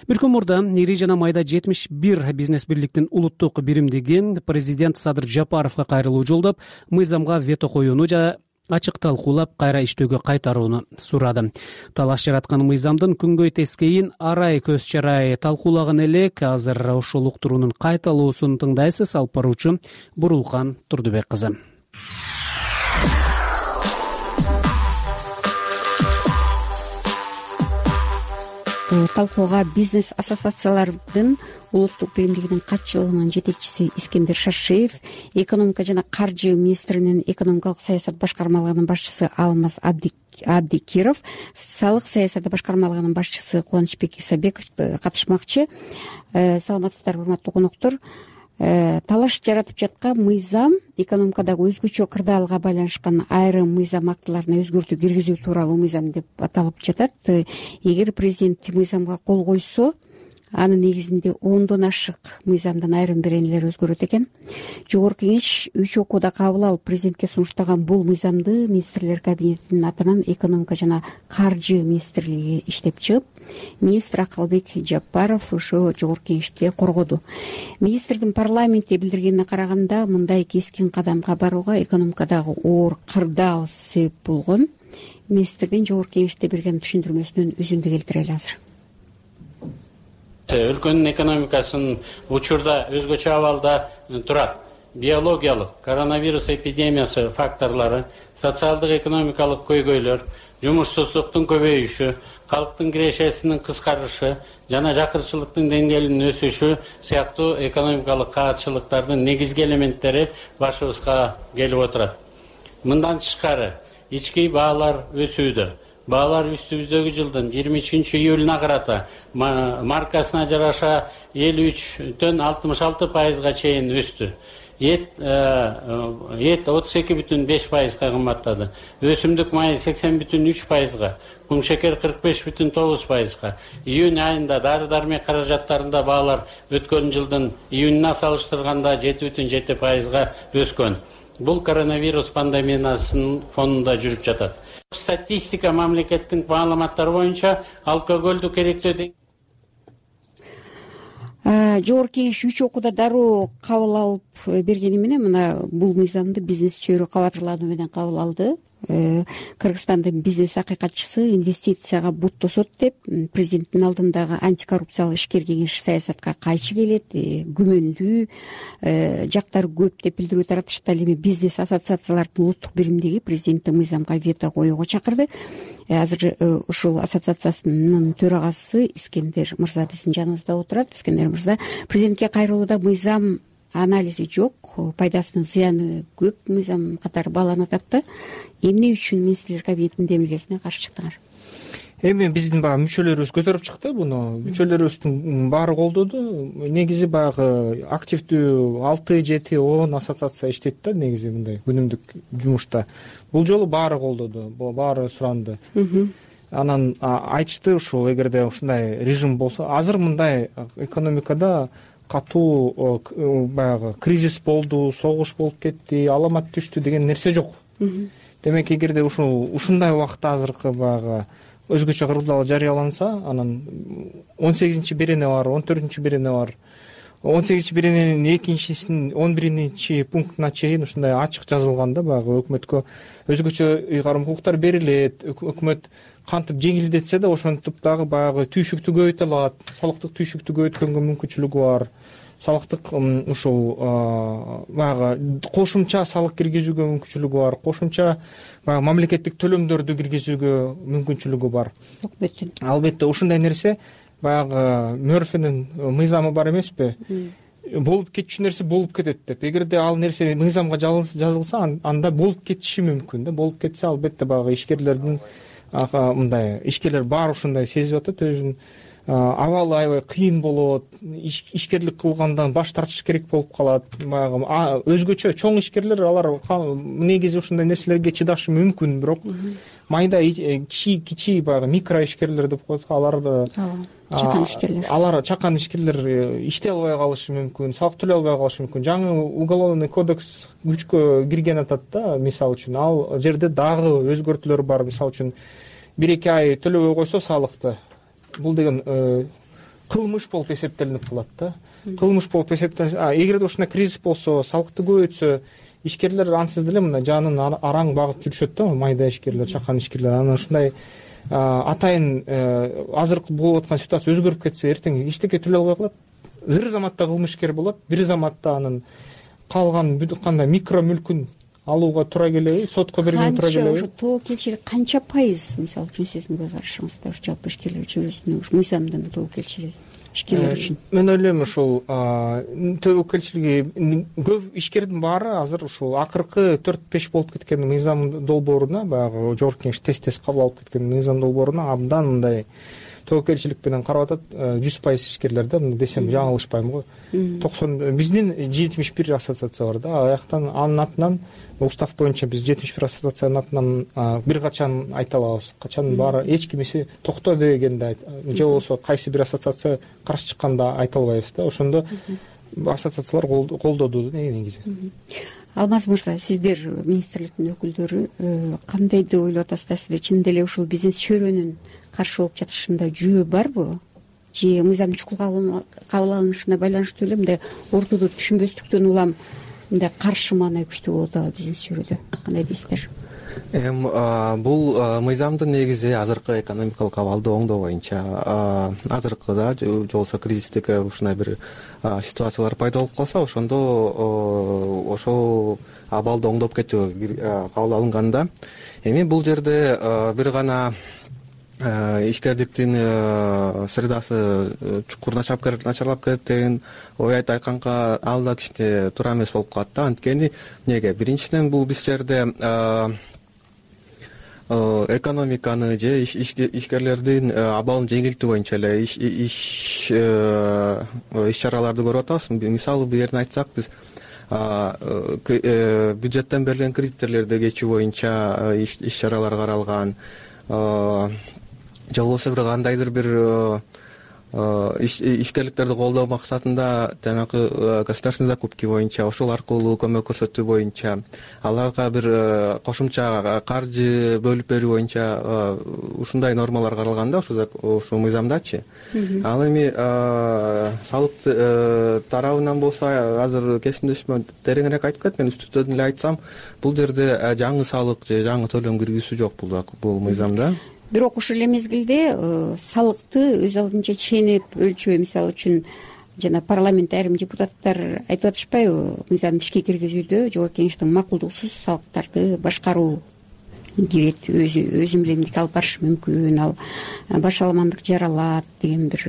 Бир күн мурда ири жана майда жетимиш бир бизнес бирликтин улуттук биримдиги президент Садыр Жапаровго кайрылуу жолдоп, мыйзамга вето коюуну жана ачык талкуулап кайра иштөөгө кайтарууну сурады. Талаш жараткан мыйзамдын күнгөй тескейин арай көз чарай талкуулаган элек. Азыр ошол уктуруунун кайталуусун тыңдайсыз. Алып баруучу Бурулкан Турдубек кызы. Талкууга бизнес ассоциациялардын улуттук биримдигинин катчылыгынын жетекчиси Искендер Шаршеев, экономика жана каржы министринин экономикалык саясат башкармалыгынын башчысы Алмаз Абдикиров, салык саясаты башкармалыгынын башчысы Кубанычбек Исабеков катышмакчы. Саламатсыздарбы, урматтуу коноктор. Талаш жаратып жаткан мыйзам экономикадагы өзгөчө кырдаалга байланышкан айрым мыйзам актыларына өзгөртүү киргизүү тууралуу мыйзам деп аталып жатат. Эгер президент мыйзамга кол койсо, анын негизинде ондон ашык мыйзамдын айрым беренелери өзгөрөт экен. Жогорку кеңеш үч окууда кабыл алып, президентке сунуштаган бул мыйзамды министрлер кабинетинин атынан экономика жана каржы министрлиги иштеп чыгып, министр Акылбек Жапаров ошо жогорку кеңеште коргоду. Министрдин парламентте билдиргенине караганда, мындай кескин кадамга барууга экономикадагы оор кырдаал себеп болгон. Министрдин жогорку кеңеште берген түшүндүрмөсүнөн үзүндү келтирели азыр. Өлкөнүн экономикасынын учурда өзгөчө абалда турат. Биологиялык, коронавирус эпидемиясы факторлору, социалдык экономикалык көйгөйлөр, жумушсуздуктун көбөйүшү, калктын кирешесинин кыскарышы жана жакырчылыктын деңгээлинин өсүшү сыяктуу экономикалык каатчылыктардын негизги элементтери башыбызга келип отурат. Мындан тышкары ички баалар өсүүдө. Баалар үстүбүздөгү жылдын жыйырма үчүнчү июлуна карата маркасына жараша элүү үчтөн алтымыш алты пайызга чейин өстү. Эт эт отуз эки бүтүн беш пайызга кымбаттады. Өсүмдүк майы сексен бүтүн үч пайызга, кумшекер кырк беш бүтүн тогуз пайызга. Июнь айында дары-дармек каражаттарында баалар өткөн жылдын июнуна салыштырганда жети бүтүн жети пайызга өскөн. Бул коронавирус пандемиясынын фонунда жүрүп жатат. Статистика мамлекеттин маалыматтары боюнча алкоголду керектөө жогорку кеңеш үч окууда дароо кабыл алып бергени менен мына бул мыйзамды бизнес чөйрө кабатырлануу менен кабыл алды. Кыргызстандын бизнес акыйкатчысы инвестицияга бут тосот деп президенттин алдындагы антикоррупциялык ишкер кеңеш саясатка кайчы келет, күмөндүү жактары көп деп билдирүү таратышты. Ал эми бизнес ассоциациялардын улуттук биримдиги президенттин мыйзамга вето коюуга чакырды. Азыр ушул ассоциациясынын төрагасы Искендер мырза биздин жаныбызда отурат. Искендер мырза, президентке кайрылууда мыйзам анализи жок, пайдасынын зыяны көп мыйзам катары бааланып атат да. Эмне үчүн министрлер кабинетинин демилгесине каршы чыктыңар? Эми биздин баягы мүчөлөрүбүз көтөрүп чыкты буну. Мүчөлөрүбүздүн баары колдоду. Негизи баягы активдүү алты жети он ассоциация иштейт да, негизи мындай күнүмдүк жумушта. Бул жолу баары колдоду, баары суранды. Анан айтышты ушул эгерде ушундай режим болсо, азыр мындай экономикада катуу баягы кризис болду, согуш болуп кетти, аламат түштү деген нерсе жок. Демек, эгерде ушул ушундай убакытта азыркы баягы өзгөчө кырдаал жарыяланса, анан он сегизинчи берене бар, он төртүнчү берене бар. он сегизинчи берененин экинчисинин он биринчи пунктуна чейин ушундай ачык жазылган да, баягы өкмөткө өзгөчө ыйгарым укуктар берилет. Өкмөт кантип жеңилдетсе да ошентип дагы баягы түйшүктү көбөйтө алат, салыктык түйшүктү көбөйткөнгө мүмкүнчүлүгү бар. салыктык ушул баягы кошумча салык киргизүүгө мүмкүнчүлүгү бар, кошумча баягы мамлекеттик төлөмдөрдү киргизүүгө мүмкүнчүлүгү бар. Албетте ушундай нерсе баягы Мёрфинин мыйзамы бар эмеспи? Болуп кетчү нерсе болуп кетет деп. Эгерде ал нерсе мыйзамга жазылса, анда болуп кетиши мүмкүн да. Болуп кетсе, албетте баягы ишкерлердин мындай ишкерлер баары ушундай сезип атат өзүн. Абалы аябай кыйын болот, ишкерлик кылгандан баш тартыш керек болуп калат. Баягы өзгөчө чоң ишкерлер алар негизи ушундай нерселерге чыдашы мүмкүн, бирок майда кичи кичи баягы микро ишкерлер деп коет, алар чакан ишкерлер. Алар чакан ишкерлер иштей албай калышы мүмкүн, салык төлөй албай калышы мүмкүн. Жаңы уголовный кодекс күчкө кирген атат да, мисалы үчүн. Ал жерде дагы өзгөртүүлөр бар. Мисалы үчүн бир эки ай төлөбөй койсо салыкты, бул деген кылмыш болуп эсептелинип калат да. Кылмыш болуп эсептелсе, эгерде ушундай кризис болсо, салыкты көбөйтсө, ишкерлер ансыз деле мындай жанын араң багып жүрүшөт да, майда ишкерлер, чакан ишкерлер. Анан ушундай атайын азыркы болуп аткан ситуация өзгөрүп кетсе, эртең эчтеке төлөй албай калат. Зыр заматта кылмышкер болот, бир заматта анын калган кандай микро мүлкүн алууга туура келеби, сотко берген туура келеби? Канча тобокелчилик канча пайыз, мисалы үчүн сиздин көз карашыңызда жалпы ишкерлер чөйрөсүнө мыйзамдын тобокелчилиги ишкерлер үчүн? Мен ойлойм ушул тобокелчилиги көп ишкердин баары азыр ушул акыркы төрт беш болуп кеткен мыйзам долбооруна, баягы жогорку кеңеш тез-тез кабыл алып кеткен мыйзам долбооруна абдан мындай тобокелчилик менен карап атат. жүз пайыз ишкерлерде десем жаңылышпайм го. токсон биздин жетимиш бир ассоциация бар да. Аяктан анын атынан устав боюнча биз жетимиш бир ассоциациянын атынан бир качан айта алабыз. Качан баары эч кимиси токто дегенде же болбосо кайсы бир ассоциация каршы чыкканда айта албайбыз да. Ошондо ассоциациялар колдоду негизи. Алмаз мырза, сиздер министрликтин өкүлдөрү кандай деп ойлоп атасыздар? Сиздер чын деле ушул бизнес чөйрөнүн каршы болуп жатышында жөө барбы? Же мыйзам чукул кабыл алынышына байланыштуу эле мындай ортодо түшүнбөстүктөн улам мындай каршы маана күчтүү болот атабы бизнес чөйрөдө? Кандай дейсиздер? Эми бул мыйзамдын негизи азыркы экономикалык абалды оңдоо боюнча. Азыркыда же болбосо кризистик ушундай бир ситуациялар пайда болуп калса, ошондо ошол абалды оңдоп кетүүгө кабыл алынганда, эми бул жерде бир гана ишкердиктин средасы чукур начарлап кетет деген ой айтканга ал да кичине туура эмес болуп калат да. Анткени эмнеге? Биринчиден бул биз жерде экономиканы же ишкерлердин абалын жеңилтүү боюнча эле иш иш чараларды көрүп атабыз. Мисалы бир жерин айтсак, биз бюджеттен берилген кредиттерди кечүү боюнча иш чаралар каралган, же болбосо бир кандайдыр бир ишкерликтерди колдоо максатында жанагы государственный закупки боюнча, ошол аркылуу көмөк көрсөтүү боюнча, аларга бир кошумча каржы бөлүп берүү боюнча ушундай нормалар каралган да ушул мыйзамдачы. Ал эми салык тарабынан болсо азыр кесимдешме тереңирээк айтып кетет. Мен үстүртөн эле айтсам, бул жерде жаңы салык же жаңы төлөм киргизүү жок бул мыйзамда. Бирок ошол эле мезгилде салыкты өз алдынча ченеп өлчөө, мисалы үчүн жана парламентте айрым депутаттар айтып атышпайбы, мыйзамды ишке киргизүүдө жогорку кеңештин макулдугусуз салыктарды башкаруу кирет, өз милдетин алып барышы мүмкүн, ал баш аламандык жаралат деген бир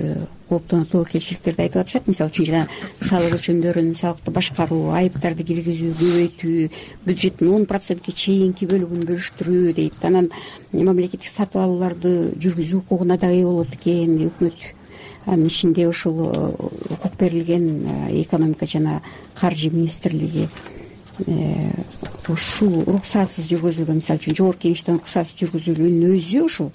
кооптонуу тобокелчиликтерди айтып атышат. Мисалы үчүн жана салык өлчөмдөрүн, салыкты башкаруу, айыптарды киргизүү, көбөйтүү, бюджеттин он процентке чейинки бөлүгүн бөлүштүрүү дейт. Анан мамлекеттик сатып алууларды жүргүзүү укугуна дагы ээ болот экен өкмөт. Анын ичинде ушул укук берилген экономика жана каржы министрлиги ушул уруксатсыз жүргүзүлгөн, мисалы үчүн жогорку кеңештен уруксатсыз жүргүзүлүүнүн өзү ушул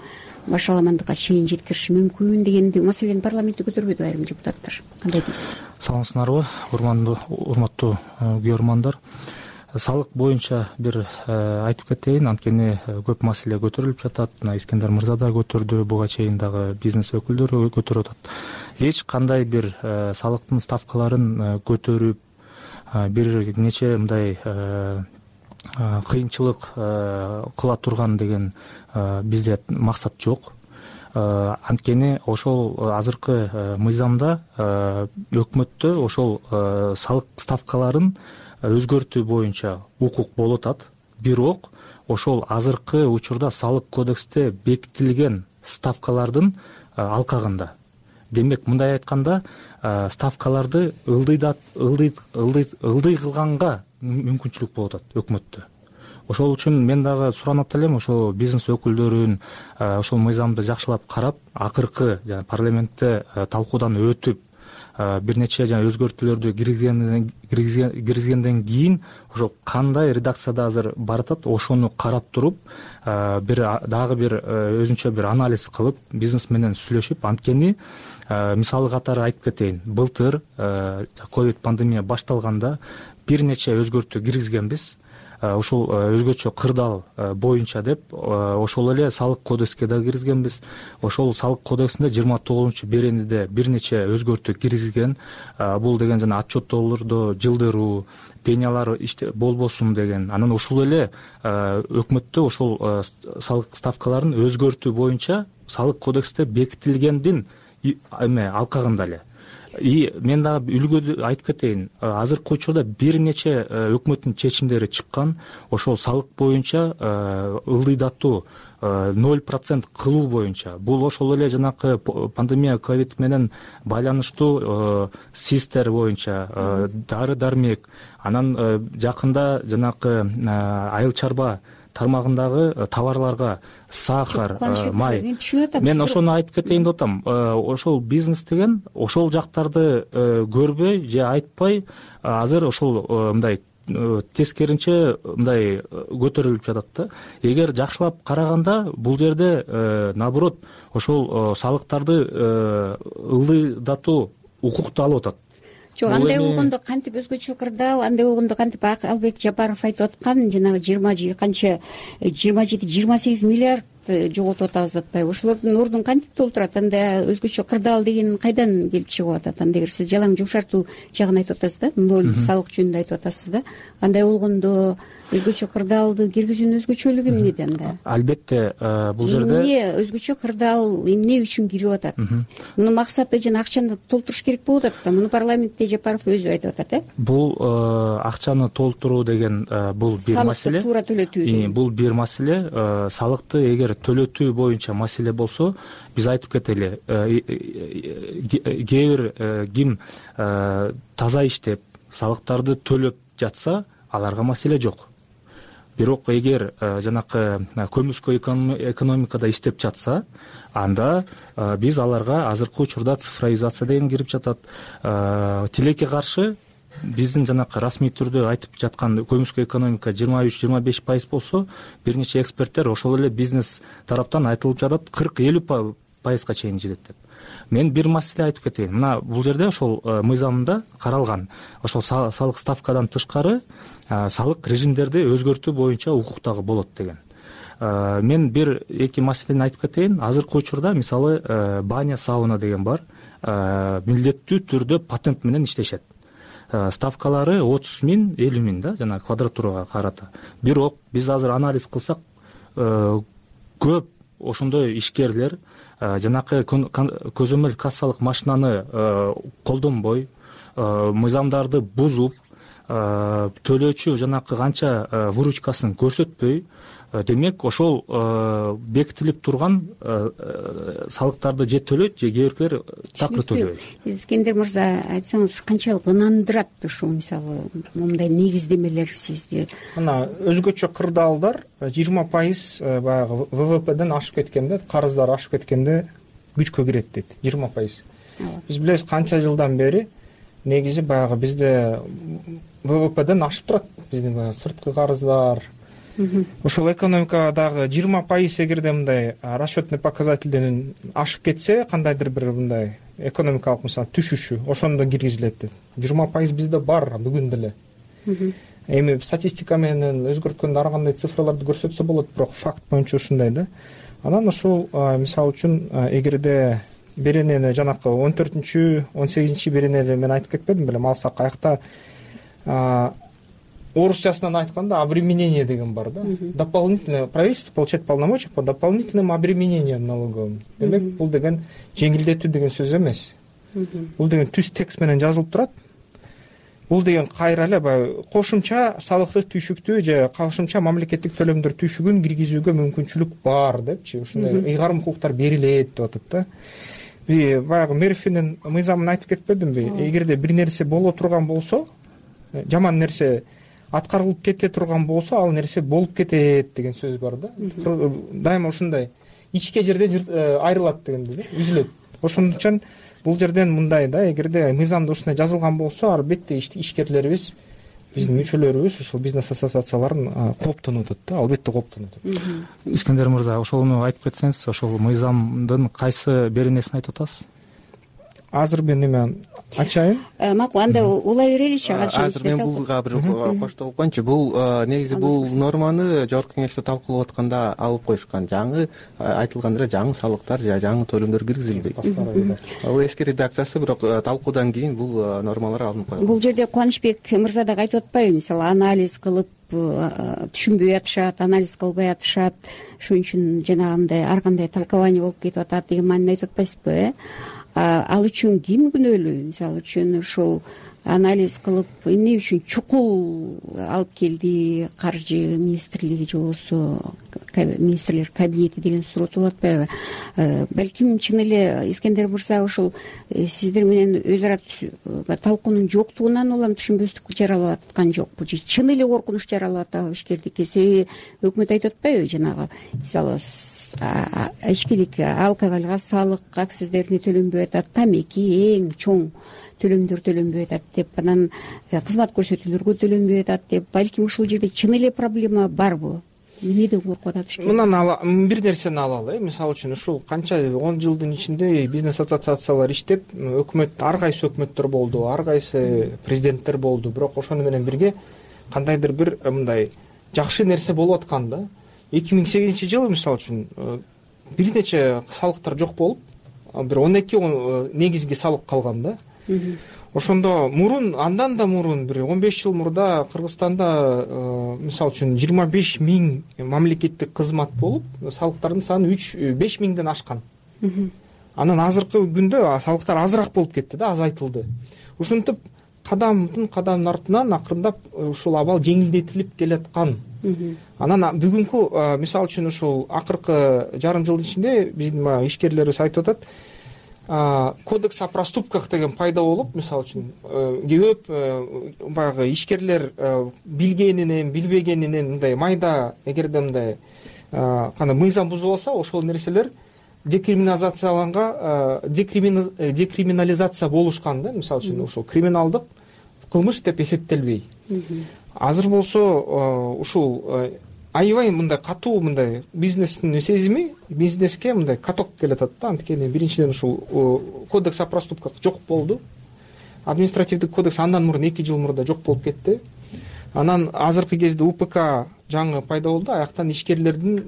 баш аламандыкка чейин жеткириши мүмкүн деген маселени парламентте көтөрбөйдү айрым депутаттар. Кандай дейсиз? Саламатсыздарбы, урматтуу көрөрмандар. Салык боюнча бир айтып кетейин, анткени көп маселе көтөрүлүп жатат. Мына Искендер мырза да көтөрдү, буга чейин дагы бизнес өкүлдөрү көтөрүп атат. Эч кандай бир салыктын ставкаларын көтөрүп бир нече мындай кыйынчылык кыла турган деген бизде максат жок. анткени ошол азыркы мыйзамда өкмөттө ошол салык ставкаларын өзгөртүү боюнча укук болуп атат. Бирок ошол азыркы учурда салык кодексте бекитилген ставкалардын алкагында. Демек, мындай айтканда, ставкаларды ылдый ылдый кылганга мүмкүнчүлүк болуп атат өкмөттө. Ошол үчүн мен дагы суранат элем, ошо бизнес өкүлдөрүн ошол мыйзамды жакшылап карап, акыркы жана парламентте талкуудан өтүп, бир нече жана өзгөртүүлөрдү киргизгенден кийин ошо кандай редакцияда азыр баратат, ошону карап туруп, бир дагы бир өзүнчө бир анализ кылып, бизнес менен сүйлөшүп, анткени мисалы катары айтып кетейин, былтыр ковид пандемия башталганда бир нече өзгөртүү киргизгенбиз. Ошол өзгөчө кырдаал боюнча деп, ошол эле салык кодекске да киргизгенбиз. Ошол салык кодексинде жыйырма тогузунчу беренеде бир нече өзгөртүү киргизилген. Бул деген жана отчеттоолордо жылдыруу, пенялар иште болбосун деген. Анан ушул эле өкмөттө ошол салык ставкаларын өзгөртүү боюнча салык кодексте бекитилгендин эме алкагында эле. И мен дагы үлгү айтып кетейин, азыркы учурда бир нече өкмөттүн чечимдери чыккан, ошол салык боюнча ылдыйдатуу ноль процент кылуу боюнча. Бул ошол эле жанакы пандемия ковид менен байланыштуу систер боюнча, дары дармек, анан жакында жанакы айыл чарба тармагындагы товарларга сахар, май. Мен ошону айтып кетейин деп атам. Ошол бизнес деген ошол жактарды көрбөй же айтпай, азыр ошол мындай тескеринче мындай көтөрүлүп жатат да. Эгер жакшылап караганда, бул жерде наоборот ошол салыктарды ылдыйдатуу укукту алып атат. Жок, андай болгондо кантип өзгөчө кырдаал, андай болгондо кантип Албек Жапаров айтып аткан, жанагы жыйырма канча жыйырма жети жыйырма сегиз миллиард жоготуп атабыз атпайбы? Ошолордун ордун кантип толтурат? Анда өзгөчө кырдаал деген кайдан келип чыгып атат? Анда эгер сиз жалаң жумшартуу жагын айтып атасыз да, ноль салык жөнүндө айтып атасыз да. Андай болгондо өзгөчө кырдаалды киргизүүнүн өзгөчөлүгү эмнеде анда? Албетте, бул жерде эмне өзгөчө кырдаал эмне үчүн кирип атат? Мунун максаты жана акчаны толтуруш керек болуп атат да. Муну парламентте Жапаров өзү айтып атат, э? Бул акчаны толтуруу деген бул бир маселе. Салыкты туура төлөтүү. Бул бир маселе. Салыкты эгер төлөтүү боюнча маселе болсо, биз айтып кетели, кээ бир ким таза иштеп, салыктарды төлөп жатса, аларга маселе жок. Бирок эгер жанакы көмүскө экономикада иштеп жатса, анда биз аларга азыркы учурда цифровизация деген кирип жатат. Тилекке каршы биздин жанакы расмий түрдө айтып жаткан көмүскө экономика жыйырма үч жыйырма беш пайыз болсо, бир нече эксперттер ошол эле бизнес тараптан айтылып жатат кырк элүү пайызга чейин жетет деп. Мен бир маселе айтып кетейин. Мына бул жерде ошол мыйзамда каралган, ошол салык ставкадан тышкары салык режимдерди өзгөртүү боюнча укук дагы болот деген. Мен бир эки маселени айтып кетейин. Азыркы учурда мисалы баня, сауна деген бар. Милдеттүү түрдө патент менен иштешет. Ставкалары отуз миң, элүү миң да, жана квадратурага карата. Бирок биз азыр анализ кылсак, көп ошондой ишкерлер жанакы көзөмөл кассалык машинаны колдонбой, мыйзамдарды бузуп, төлөөчү жанакы канча выручкасын көрсөтпөй, демек ошол бекитилип турган салыктарды же төлөйт, же кээ биркилер такыр төлөбөйт. Искендер мырза, айтсаңыз, канчалык ынандырат ушул мисалы мындай негиздемелер сизди? Мына өзгөчө кырдаалдар жыйырма пайыз баягы ВВПден ашып кеткенде, карыздар ашып кеткенде күчкө кирет дейт. жыйырма пайыз. Биз билебиз канча жылдан бери негизи баягы бизде ВВПден ашып турат. Биздин баягы сырткы карыздар. Ошол экономикадагы жыйырма пайыз эгерде мындай расчетный показательден ашып кетсе, кандайдыр бир мындай экономикалык мисалы түшүшү, ошондо киргизилет дейт. жыйырма пайыз бизде бар бүгүн деле. Эми статистика менен өзгөрткөндө ар кандай цифрларды көрсөтсө болот, бирок факт боюнча ушундай да. Анан ошол мисалы үчүн эгерде беренени жанакы он төртүнчү он сегизинчи беренени мен айтып кетпедим белем, алсак аякта орусчасынан айтканда обременение деген бар да. Дополнительное правительство получает полномочия по дополнительным обременениям налоговым. Демек бул деген жеңилдетүү деген сөз эмес. Бул деген түз текст менен жазылып турат. Бул деген кайра эле баягы кошумча салыктык түйшүктү же кошумча мамлекеттик төлөмдөр түйшүгүн киргизүүгө мүмкүнчүлүк бар депчи, ушундай ыйгарым укуктар берилет деп атат да. Баягы Мерфинин мыйзамын айтып кетпедимби? Эгерде бир нерсе боло турган болсо, жаман нерсе аткарылып кете турган болсо, ал нерсе болуп кетет деген сөз бар да. Дайыма ушундай ичке жерден айрылат дегенде да, үзүлөт. Ошон үчүн бул жерден мындай да, эгерде мыйзамда ушундай жазылган болсо, албетте ишкерлерибиз, биздин мүчөлөрүбүз ушул бизнес ассоциацияларын кооптонуп атат да, албетте кооптонуп атат. Искендер мырза, ошону айтып кетсеңиз, ошол мыйзамдын кайсы беренесин айтып атасыз? Азыр мен эме ачайын. Макул, анда улай береличи. Азыр мен булга бир коштолуп коеюнчу. Бул негизи бул норманы жогорку кеңеште талкуулап атканда алып коюшкан. Жаңы айтылган эле жаңы салыктар же жаңы төлөмдөр киргизилбейт. Бул эски редакциясы, бирок талкуудан кийин бул нормалар алынып коюлган. Бул жерде Кубанычбек мырза дагы айтып атпайбы, мисалы анализ кылып түшүнбөй атышат, анализ кылбай атышат, ошон үчүн жанагындай ар кандай толкование болуп кетип атат деген маанини айтып атпайсызбы, э? Ал үчүн ким күнөөлүү? Мисалы үчүн ошол анализ кылып, эмне үчүн чукул алып келди каржы министрлиги же болбосо министрлер кабинети деген суроо туулуп атпайбы? Балким чын эле Искендер мырза ошол сиздер менен өз ара талкуунун жоктугунан улам түшүнбөстүк жаралып аткан жокпу же чын эле коркунуч жаралып атабы ишкердикке? Себеби өкмөт айтып атпайбы, жанагы мисалы ичкилик алкоголго салык акциздерине төлөнбөй атат, тамеки эң чоң төлөмдөр төлөнбөй атат деп, анан кызмат көрсөтүүлөргө төлөнбөй атат деп. Балким ушул жерде чын эле проблема барбы? Эмнеден коркуп атат ишкер? Мындан бир нерсени алалы, мисалы үчүн ушул канча он жылдын ичинде бизнес ассоциациялар иштеп, өкмөт, ар кайсы өкмөттөр болду, ар кайсы президенттер болду, бирок ошону менен бирге кандайдыр бир мындай жакшы нерсе болуп аткан да. эки миң сегизинчи жылы мисалы үчүн бир нече салыктар жок болуп, бир он эки негизги салык калган да. Ошондо мурун, андан да мурун бир он беш жыл мурда Кыргызстанда мисалы үчүн жыйырма беш миң мамлекеттик кызмат болуп, салыктардын саны үч беш миңден ашкан. Анан азыркы күндө салыктар азыраак болуп кетти да, азайтылды. Ушинтип кадамдын кадамдын артынан акырындап ушул абал жеңилдетилип келаткан. Анан бүгүнкү мисалы үчүн ушул акыркы жарым жылдын ичинде биздин ишкерлерибиз айтып атат, кодекс о проступках деген пайда болуп, мисалы үчүн көп баягы ишкерлер билгенинен, билбегенинен мындай майда, эгерде мындай кандай мыйзам бузулса, ошол нерселер декриминализацияланга, декриминализация болушкан да, мисалы үчүн ошол криминалдык кылмыш деп эсептелбей. Азыр болсо ушул аябай мындай катуу мындай бизнестин сезими, бизнеске мындай каток келатат да. Анткени биринчиден ушул кодекс о проступках жок болду. Административдик кодекс андан мурун эки жыл мурда жок болуп кетти. Анан азыркы кезде УПК жаңы пайда болду. Аяктан ишкерлердин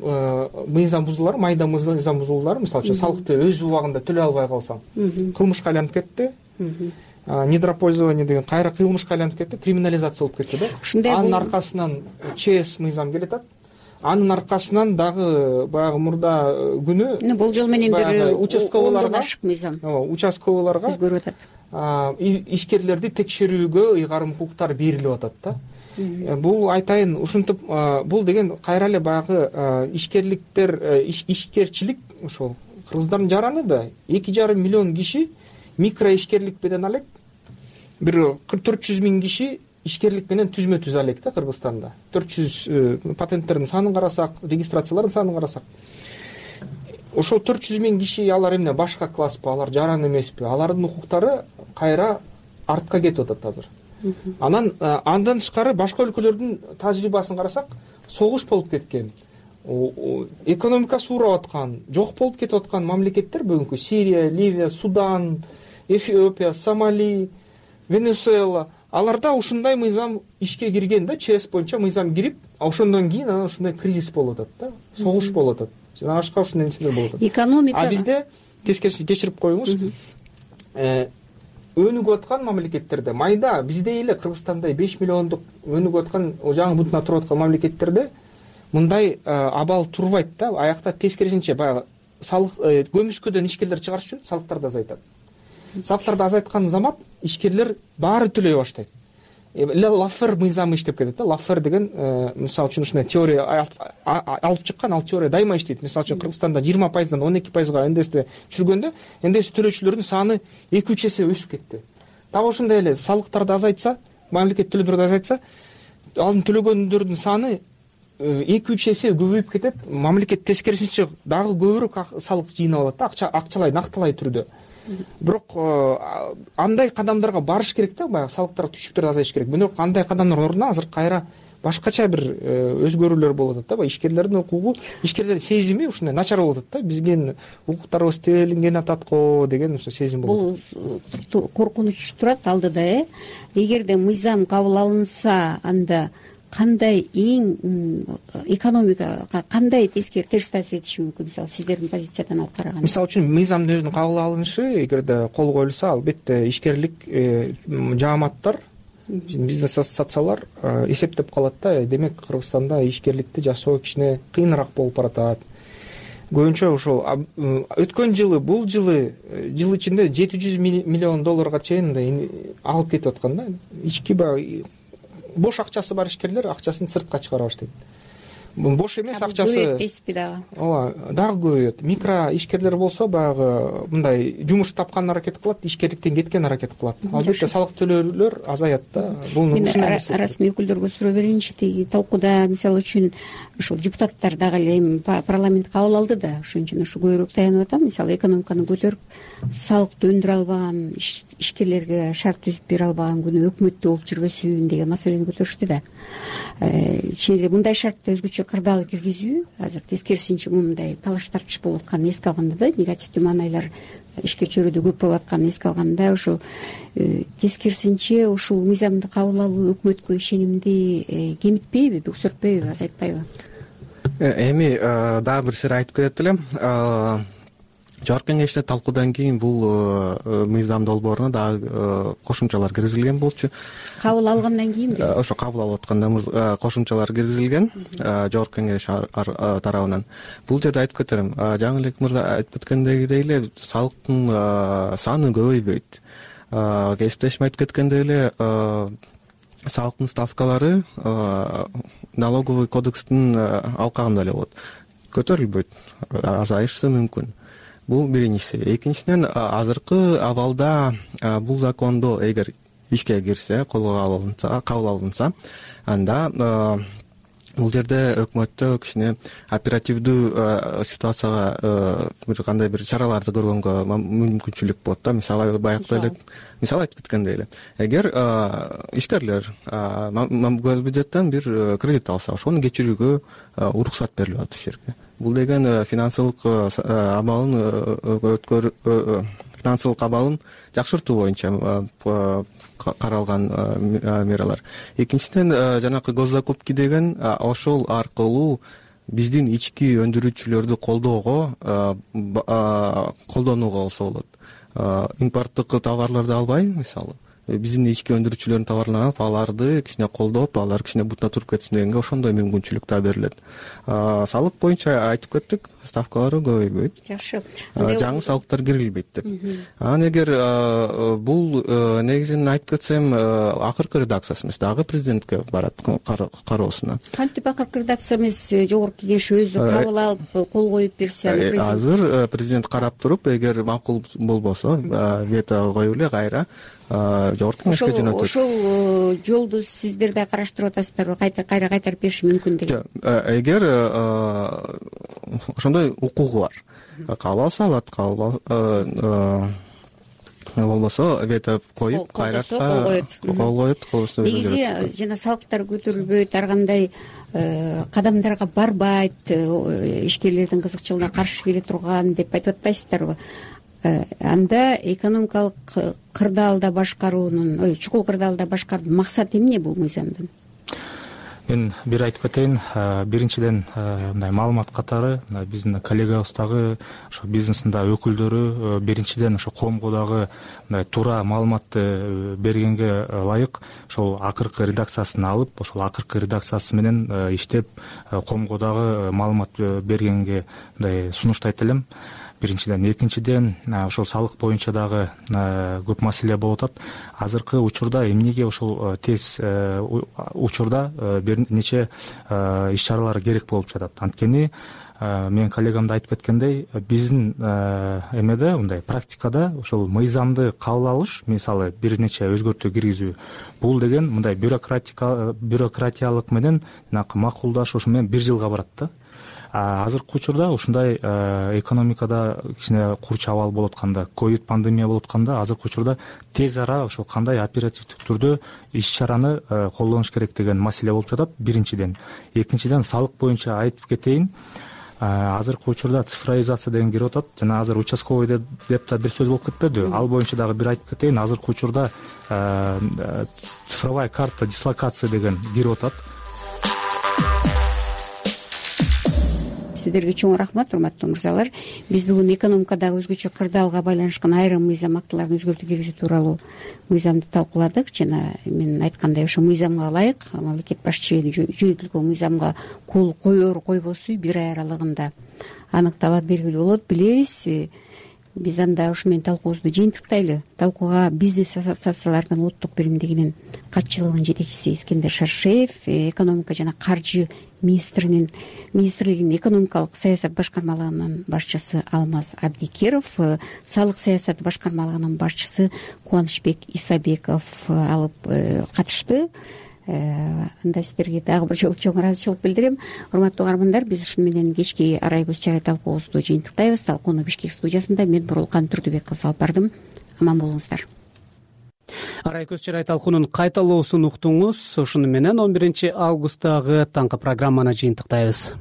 мыйзам бузуулары, майда мыйзам бузуулары, мисалы үчүн салыкты өз убагында төлөй албай калсаң, кылмышка айланып кетти. Недропользование деген кайра кылмышка айланып кетти, криминализация болуп кетти да. Анын аркасынан ЧС мыйзам келатат. Анын аркасынан дагы баягы мурда күнү бул жол менен бир участковыйларга ашык мыйзам. Участковыйларга өзгөрүп атат. Ишкерлерди текшерүүгө ыйгарым укуктар берилип атат да. Бул айтайын, ушинтип бул деген кайра эле баягы ишкерликтер, ишкерчилик ошол кыргыздардын жараны да эки жарым миллион киши микро ишкерлик менен алек, бир төрт жүз миң киши ишкерлик менен түзмө түз алек да Кыргызстанда. төрт жүз патенттердин санын карасак, регистрациялардын санын карасак, ошол төрт жүз миң киши алар эмне башка класспы, алар жаран эмеспи? Алардын укуктары кайра артка кетип атат азыр. Анан андан тышкары башка өлкөлөрдүн тажрыйбасын карасак, согуш болуп кеткен, экономикасы уурап аткан, жок болуп кетип аткан мамлекеттер бүгүнкү Сирия, Ливия, Судан, Эфиопия, Сомали, Венесуэла, аларда ушундай мыйзам ишке кирген да, ЧС боюнча мыйзам кирип, ошондон кийин анан ушундай кризис болуп атат да, согуш болуп атат. Жана башка ушундай нерселер болуп атат. Экономика. А бизде тескериси, кечирип коюңуз, өнүгүп аткан мамлекеттерде, майда биздей эле Кыргызстандай беш миллиондук өнүгүп аткан жаңы бутуна туруп аткан мамлекеттерде мындай абал турбайт да. Аякта тескерисинче баягы салык көмүскөдөн ишкерлер чыгарыш үчүн салыктарды азайтат. Салыктарды азайткан замат ишкерлер баары төлөй баштайт. Лаффер мыйзамы иштеп кетет да. Лаффер деген мисалы үчүн ушундай теория алып чыккан, ал теория дайыма иштейт. Мисалы үчүн Кыргызстанда жыйырма пайыздан он эки пайызга эн дэ эсти түшүргөндө эн дэ эс төлөөчүлөрдүн саны эки үч эсе өсүп кетти. Дагы ошондой эле салыктарды азайтса, мамлекет төлөмдөрдү азайтса, алдын төлөгөндөрдүн саны эки үч эсе көбөйүп кетет. Мамлекет тескерисинче дагы көбүрөөк салык жыйнап алат да, акча акчалай, нактылай түрдө. Бирок андай кадамдарга барыш керек да, баягы салыктар, түшүктөр азайыш керек. Бирок андай кадамдардын ордуна азыр кайра башкача бир өзгөрүүлөр болуп атат да. Баягы ишкерлердин укугу, ишкерлердин сезими ушундай начар болуп атат да. Биздин укуктарыбыз тебелинген атат го деген ошо сезим болуп атат. Бул коркунуч турат алдыда, э? Эгерде мыйзам кабыл алынса, анда кандай эң экономикага кандай тескери терс таасир этиши мүмкүн? Мисалы, сиздердин позициядан алып караганда. Мисалы үчүн мыйзамдын өзүнүн кабыл алынышы эгерде кол коюлса, албетте ишкерлик жааматтар, бизнес ассоциациялар эсептеп калат да. Демек Кыргызстанда ишкерликти жасоо кичине кыйыныраак болуп баратат. Көбүнчө ошол өткөн жылы, бул жылы жыл ичинде жети жүз миллион долларга чейин алып кетип аткан да. Ички баягы бош акчасы бар ишкерлер акчасын сыртка чыгара баштайт. Бош эмес акчасы. Көбөйөт дейсизби дагы? Ооба, дагы көбөйөт. Микро ишкерлер болсо баягы мындай жумуш тапкан аракет кылат, ишкерликтен кеткен аракет кылат. Албетте салык төлөөлөр азаят да. Бул расмий өкүлдөргө суроо берейинчи. Тиги талкууда мисалы үчүн ушул депутаттар дагы эле эми парламент кабыл алды да, ошон үчүн ушу көбүрөөк таянып атам. Мисалы экономиканы көтөрүп, салыкты өндүрө албаган, ишкерлерге шарт түзүп бере албаган күнү өкмөттө болуп жүрбөсүн деген маселени көтөрүштү да. Чын эле мындай шартты өзгөчө кырдаал киргизүү, азыр тескерисинче мындай талаш тартыш болуп атканын эске алганда да, негативдүү маанайлар ишке чөйрөдө көп болуп атканын эске алганда, ошол тескерисинче ушул мыйзамды кабыл алуу өкмөткө ишенимди кемитпейби, өксөртпөйбү, азайтпайбы? Эми дагы бир сыйра айтып кетет элем. Жогорку кеңеште талкуудан кийин бул мыйзам долбооруна дагы кошумчалар киргизилген болчу. Кабыл алгандан кийинби? Ошо кабыл алып атканда кошумчалар киргизилген жогорку кеңеш тарабынан. Бул жерде айтып кетерим, жаңы эле мырза айтып кеткендегидей эле салыктын саны көбөйбөйт. Кесиптешим айтып кеткендей эле салыктын ставкалары налоговый кодекстин алкагында эле болот. Көтөрүлбөйт, азайышы мүмкүн. Бул биринчиси. Экинчиден, азыркы абалда бул закондо эгер ишке кирсе, колго алынса, кабыл алынса, анда бул жерде өкмөттө кичине оперативдүү ситуацияга бир кандай бир чараларды көргөнгө мүмкүнчүлүк болот да. Мисалы баягы эле мисалы айтып кеткендей эле, эгер ишкерлер госбюджеттен бир кредит алса, ошону кечирүүгө уруксат берилип атат ушул жерге. Бул деген финансылык абалын өткөрүү, финансылык абалын жакшыртуу боюнча каралган мералар. Экинчиден, жанакы госзакупки деген ошол аркылуу биздин ички өндүрүүчүлөрдү колдоого, колдонууга болсо болот. Импорттук товарларды албай, мисалы, биздин ички өндүрүүчүлөрдүн товарларын алып, аларды кичине колдоп, алар кичине бутуна туруп кетсин дегенге ошондой мүмкүнчүлүк да берилет. Салык боюнча айтып кеттик, ставкалары көбөйбөйт. Жакшы. Жаңы салыктар кирилбейт деп. Анан эгер бул негизинен айтып кетсем, акыркы редакциясы эмес, дагы президентке барат кароосуна. Кантип акыркы редакция эмес, жогорку кеңеш өзү кабыл алып, кол коюп берсе, азыр президент карап туруп, эгер макул болбосо, вето коюп эле кайра жогорку кеңешке жөнөтөт. Ошол жолду сиздер да караштырып атасыздарбы? Кайта кайра кайтарып бериши мүмкүн деген. Эгер ошондой укугу бар, кабыл алса алат, кабыл болбосо вето коюп кайратка кол коет. Негизи жана салыктар көтөрүлбөйт, ар кандай кадамдарга барбайт, ишкерлердин кызыкчылыгына каршы келе турган деп айтып атпайсыздарбы? Анда экономикалык кырдаалда башкаруунун, ой, чукул кырдаалда башкаруунун максаты эмне бул мыйзамдын? мен бир айтып кетейин. Биринчиден мындай маалымат катары биздин коллегабыздагы ошо бизнестин да өкүлдөрү биринчиден ошо коомго дагы мындай туура маалыматты бергенге ылайык ошол акыркы редакциясын алып, ошол акыркы редакциясы менен иштеп коомго дагы маалымат бергенге мындай сунуштайт элем. Биринчиден. Экинчиден, ошол салык боюнча дагы көп маселе болуп атат. Азыркы учурда эмнеге ошол тез учурда бир нече иш-чаралар керек болуп жатат. Анткени мен коллегам да айтып кеткендей, биздин эмеде мындай практикада ошол мыйзамды кабыл алыш, мисалы бир нече өзгөртүү киргизүү, бул деген мындай бюрократиялык менен макулдашуу, ушу менен бир жылга барат да. Азыркы учурда ушундай экономикада кичине курч абал болуп атканда, ковид пандемия болуп атканда, азыркы учурда тез ара ошол кандай оперативдик түрдө иш-чараны колдонуш керек деген маселе болуп жатат. Биринчиден. Экинчиден, салык боюнча айтып кетейин. Азыркы учурда цифровизация деген кирип атат. Жана азыр участковый деп да бир сөз болуп кетпеди. Ал боюнча дагы бир айтып кетейин. Азыркы учурда цифровая карта дислокации деген кирип атат. Сиздерге чоң рахмат, урматтуу мырзалар. Биз бүгүн экономикадагы өзгөчө кырдаалга байланышкан айрым мыйзам актыларын өзгөртүү киргизүү тууралуу мыйзамды талкууладык. Жана мен айткандай, ошо мыйзамга ылайык мамлекет башчы жөнөтүлгөн мыйзамга кол коер койбосу бир ай аралыгында аныкталат, белгилүү болот. Билебиз, биз анда ушу менен талкуубузду жыйынтыктайлы. Талкууга бизнес ассоциациялардын улуттук биримдигинин катчылыгынын жетекчиси Искендер Шаршеев, экономика жана каржы министринин министрлигинин экономикалык саясат башкармалыгынын башчысы Алмаз Абдикеров, салык саясаты башкармалыгынын башчысы Кубанычбек Исабеков алып катышты. Анда сиздерге дагы бир жолу чоң ыраазычылык билдирем. Урматтуу угармандар, биз ушуну менен кечки арай көз чарай талкуубузду жыйынтыктайбыз. Талкууну Бишкек студиясында мен Бурулкан Турдубек кызы алып бардым. Аман болуңуздар. Арай көз чарай талкуунун кайталоосун уктуңуз. Ушуну менен он биринчи августтагы таңкы программаны жыйынтыктайбыз.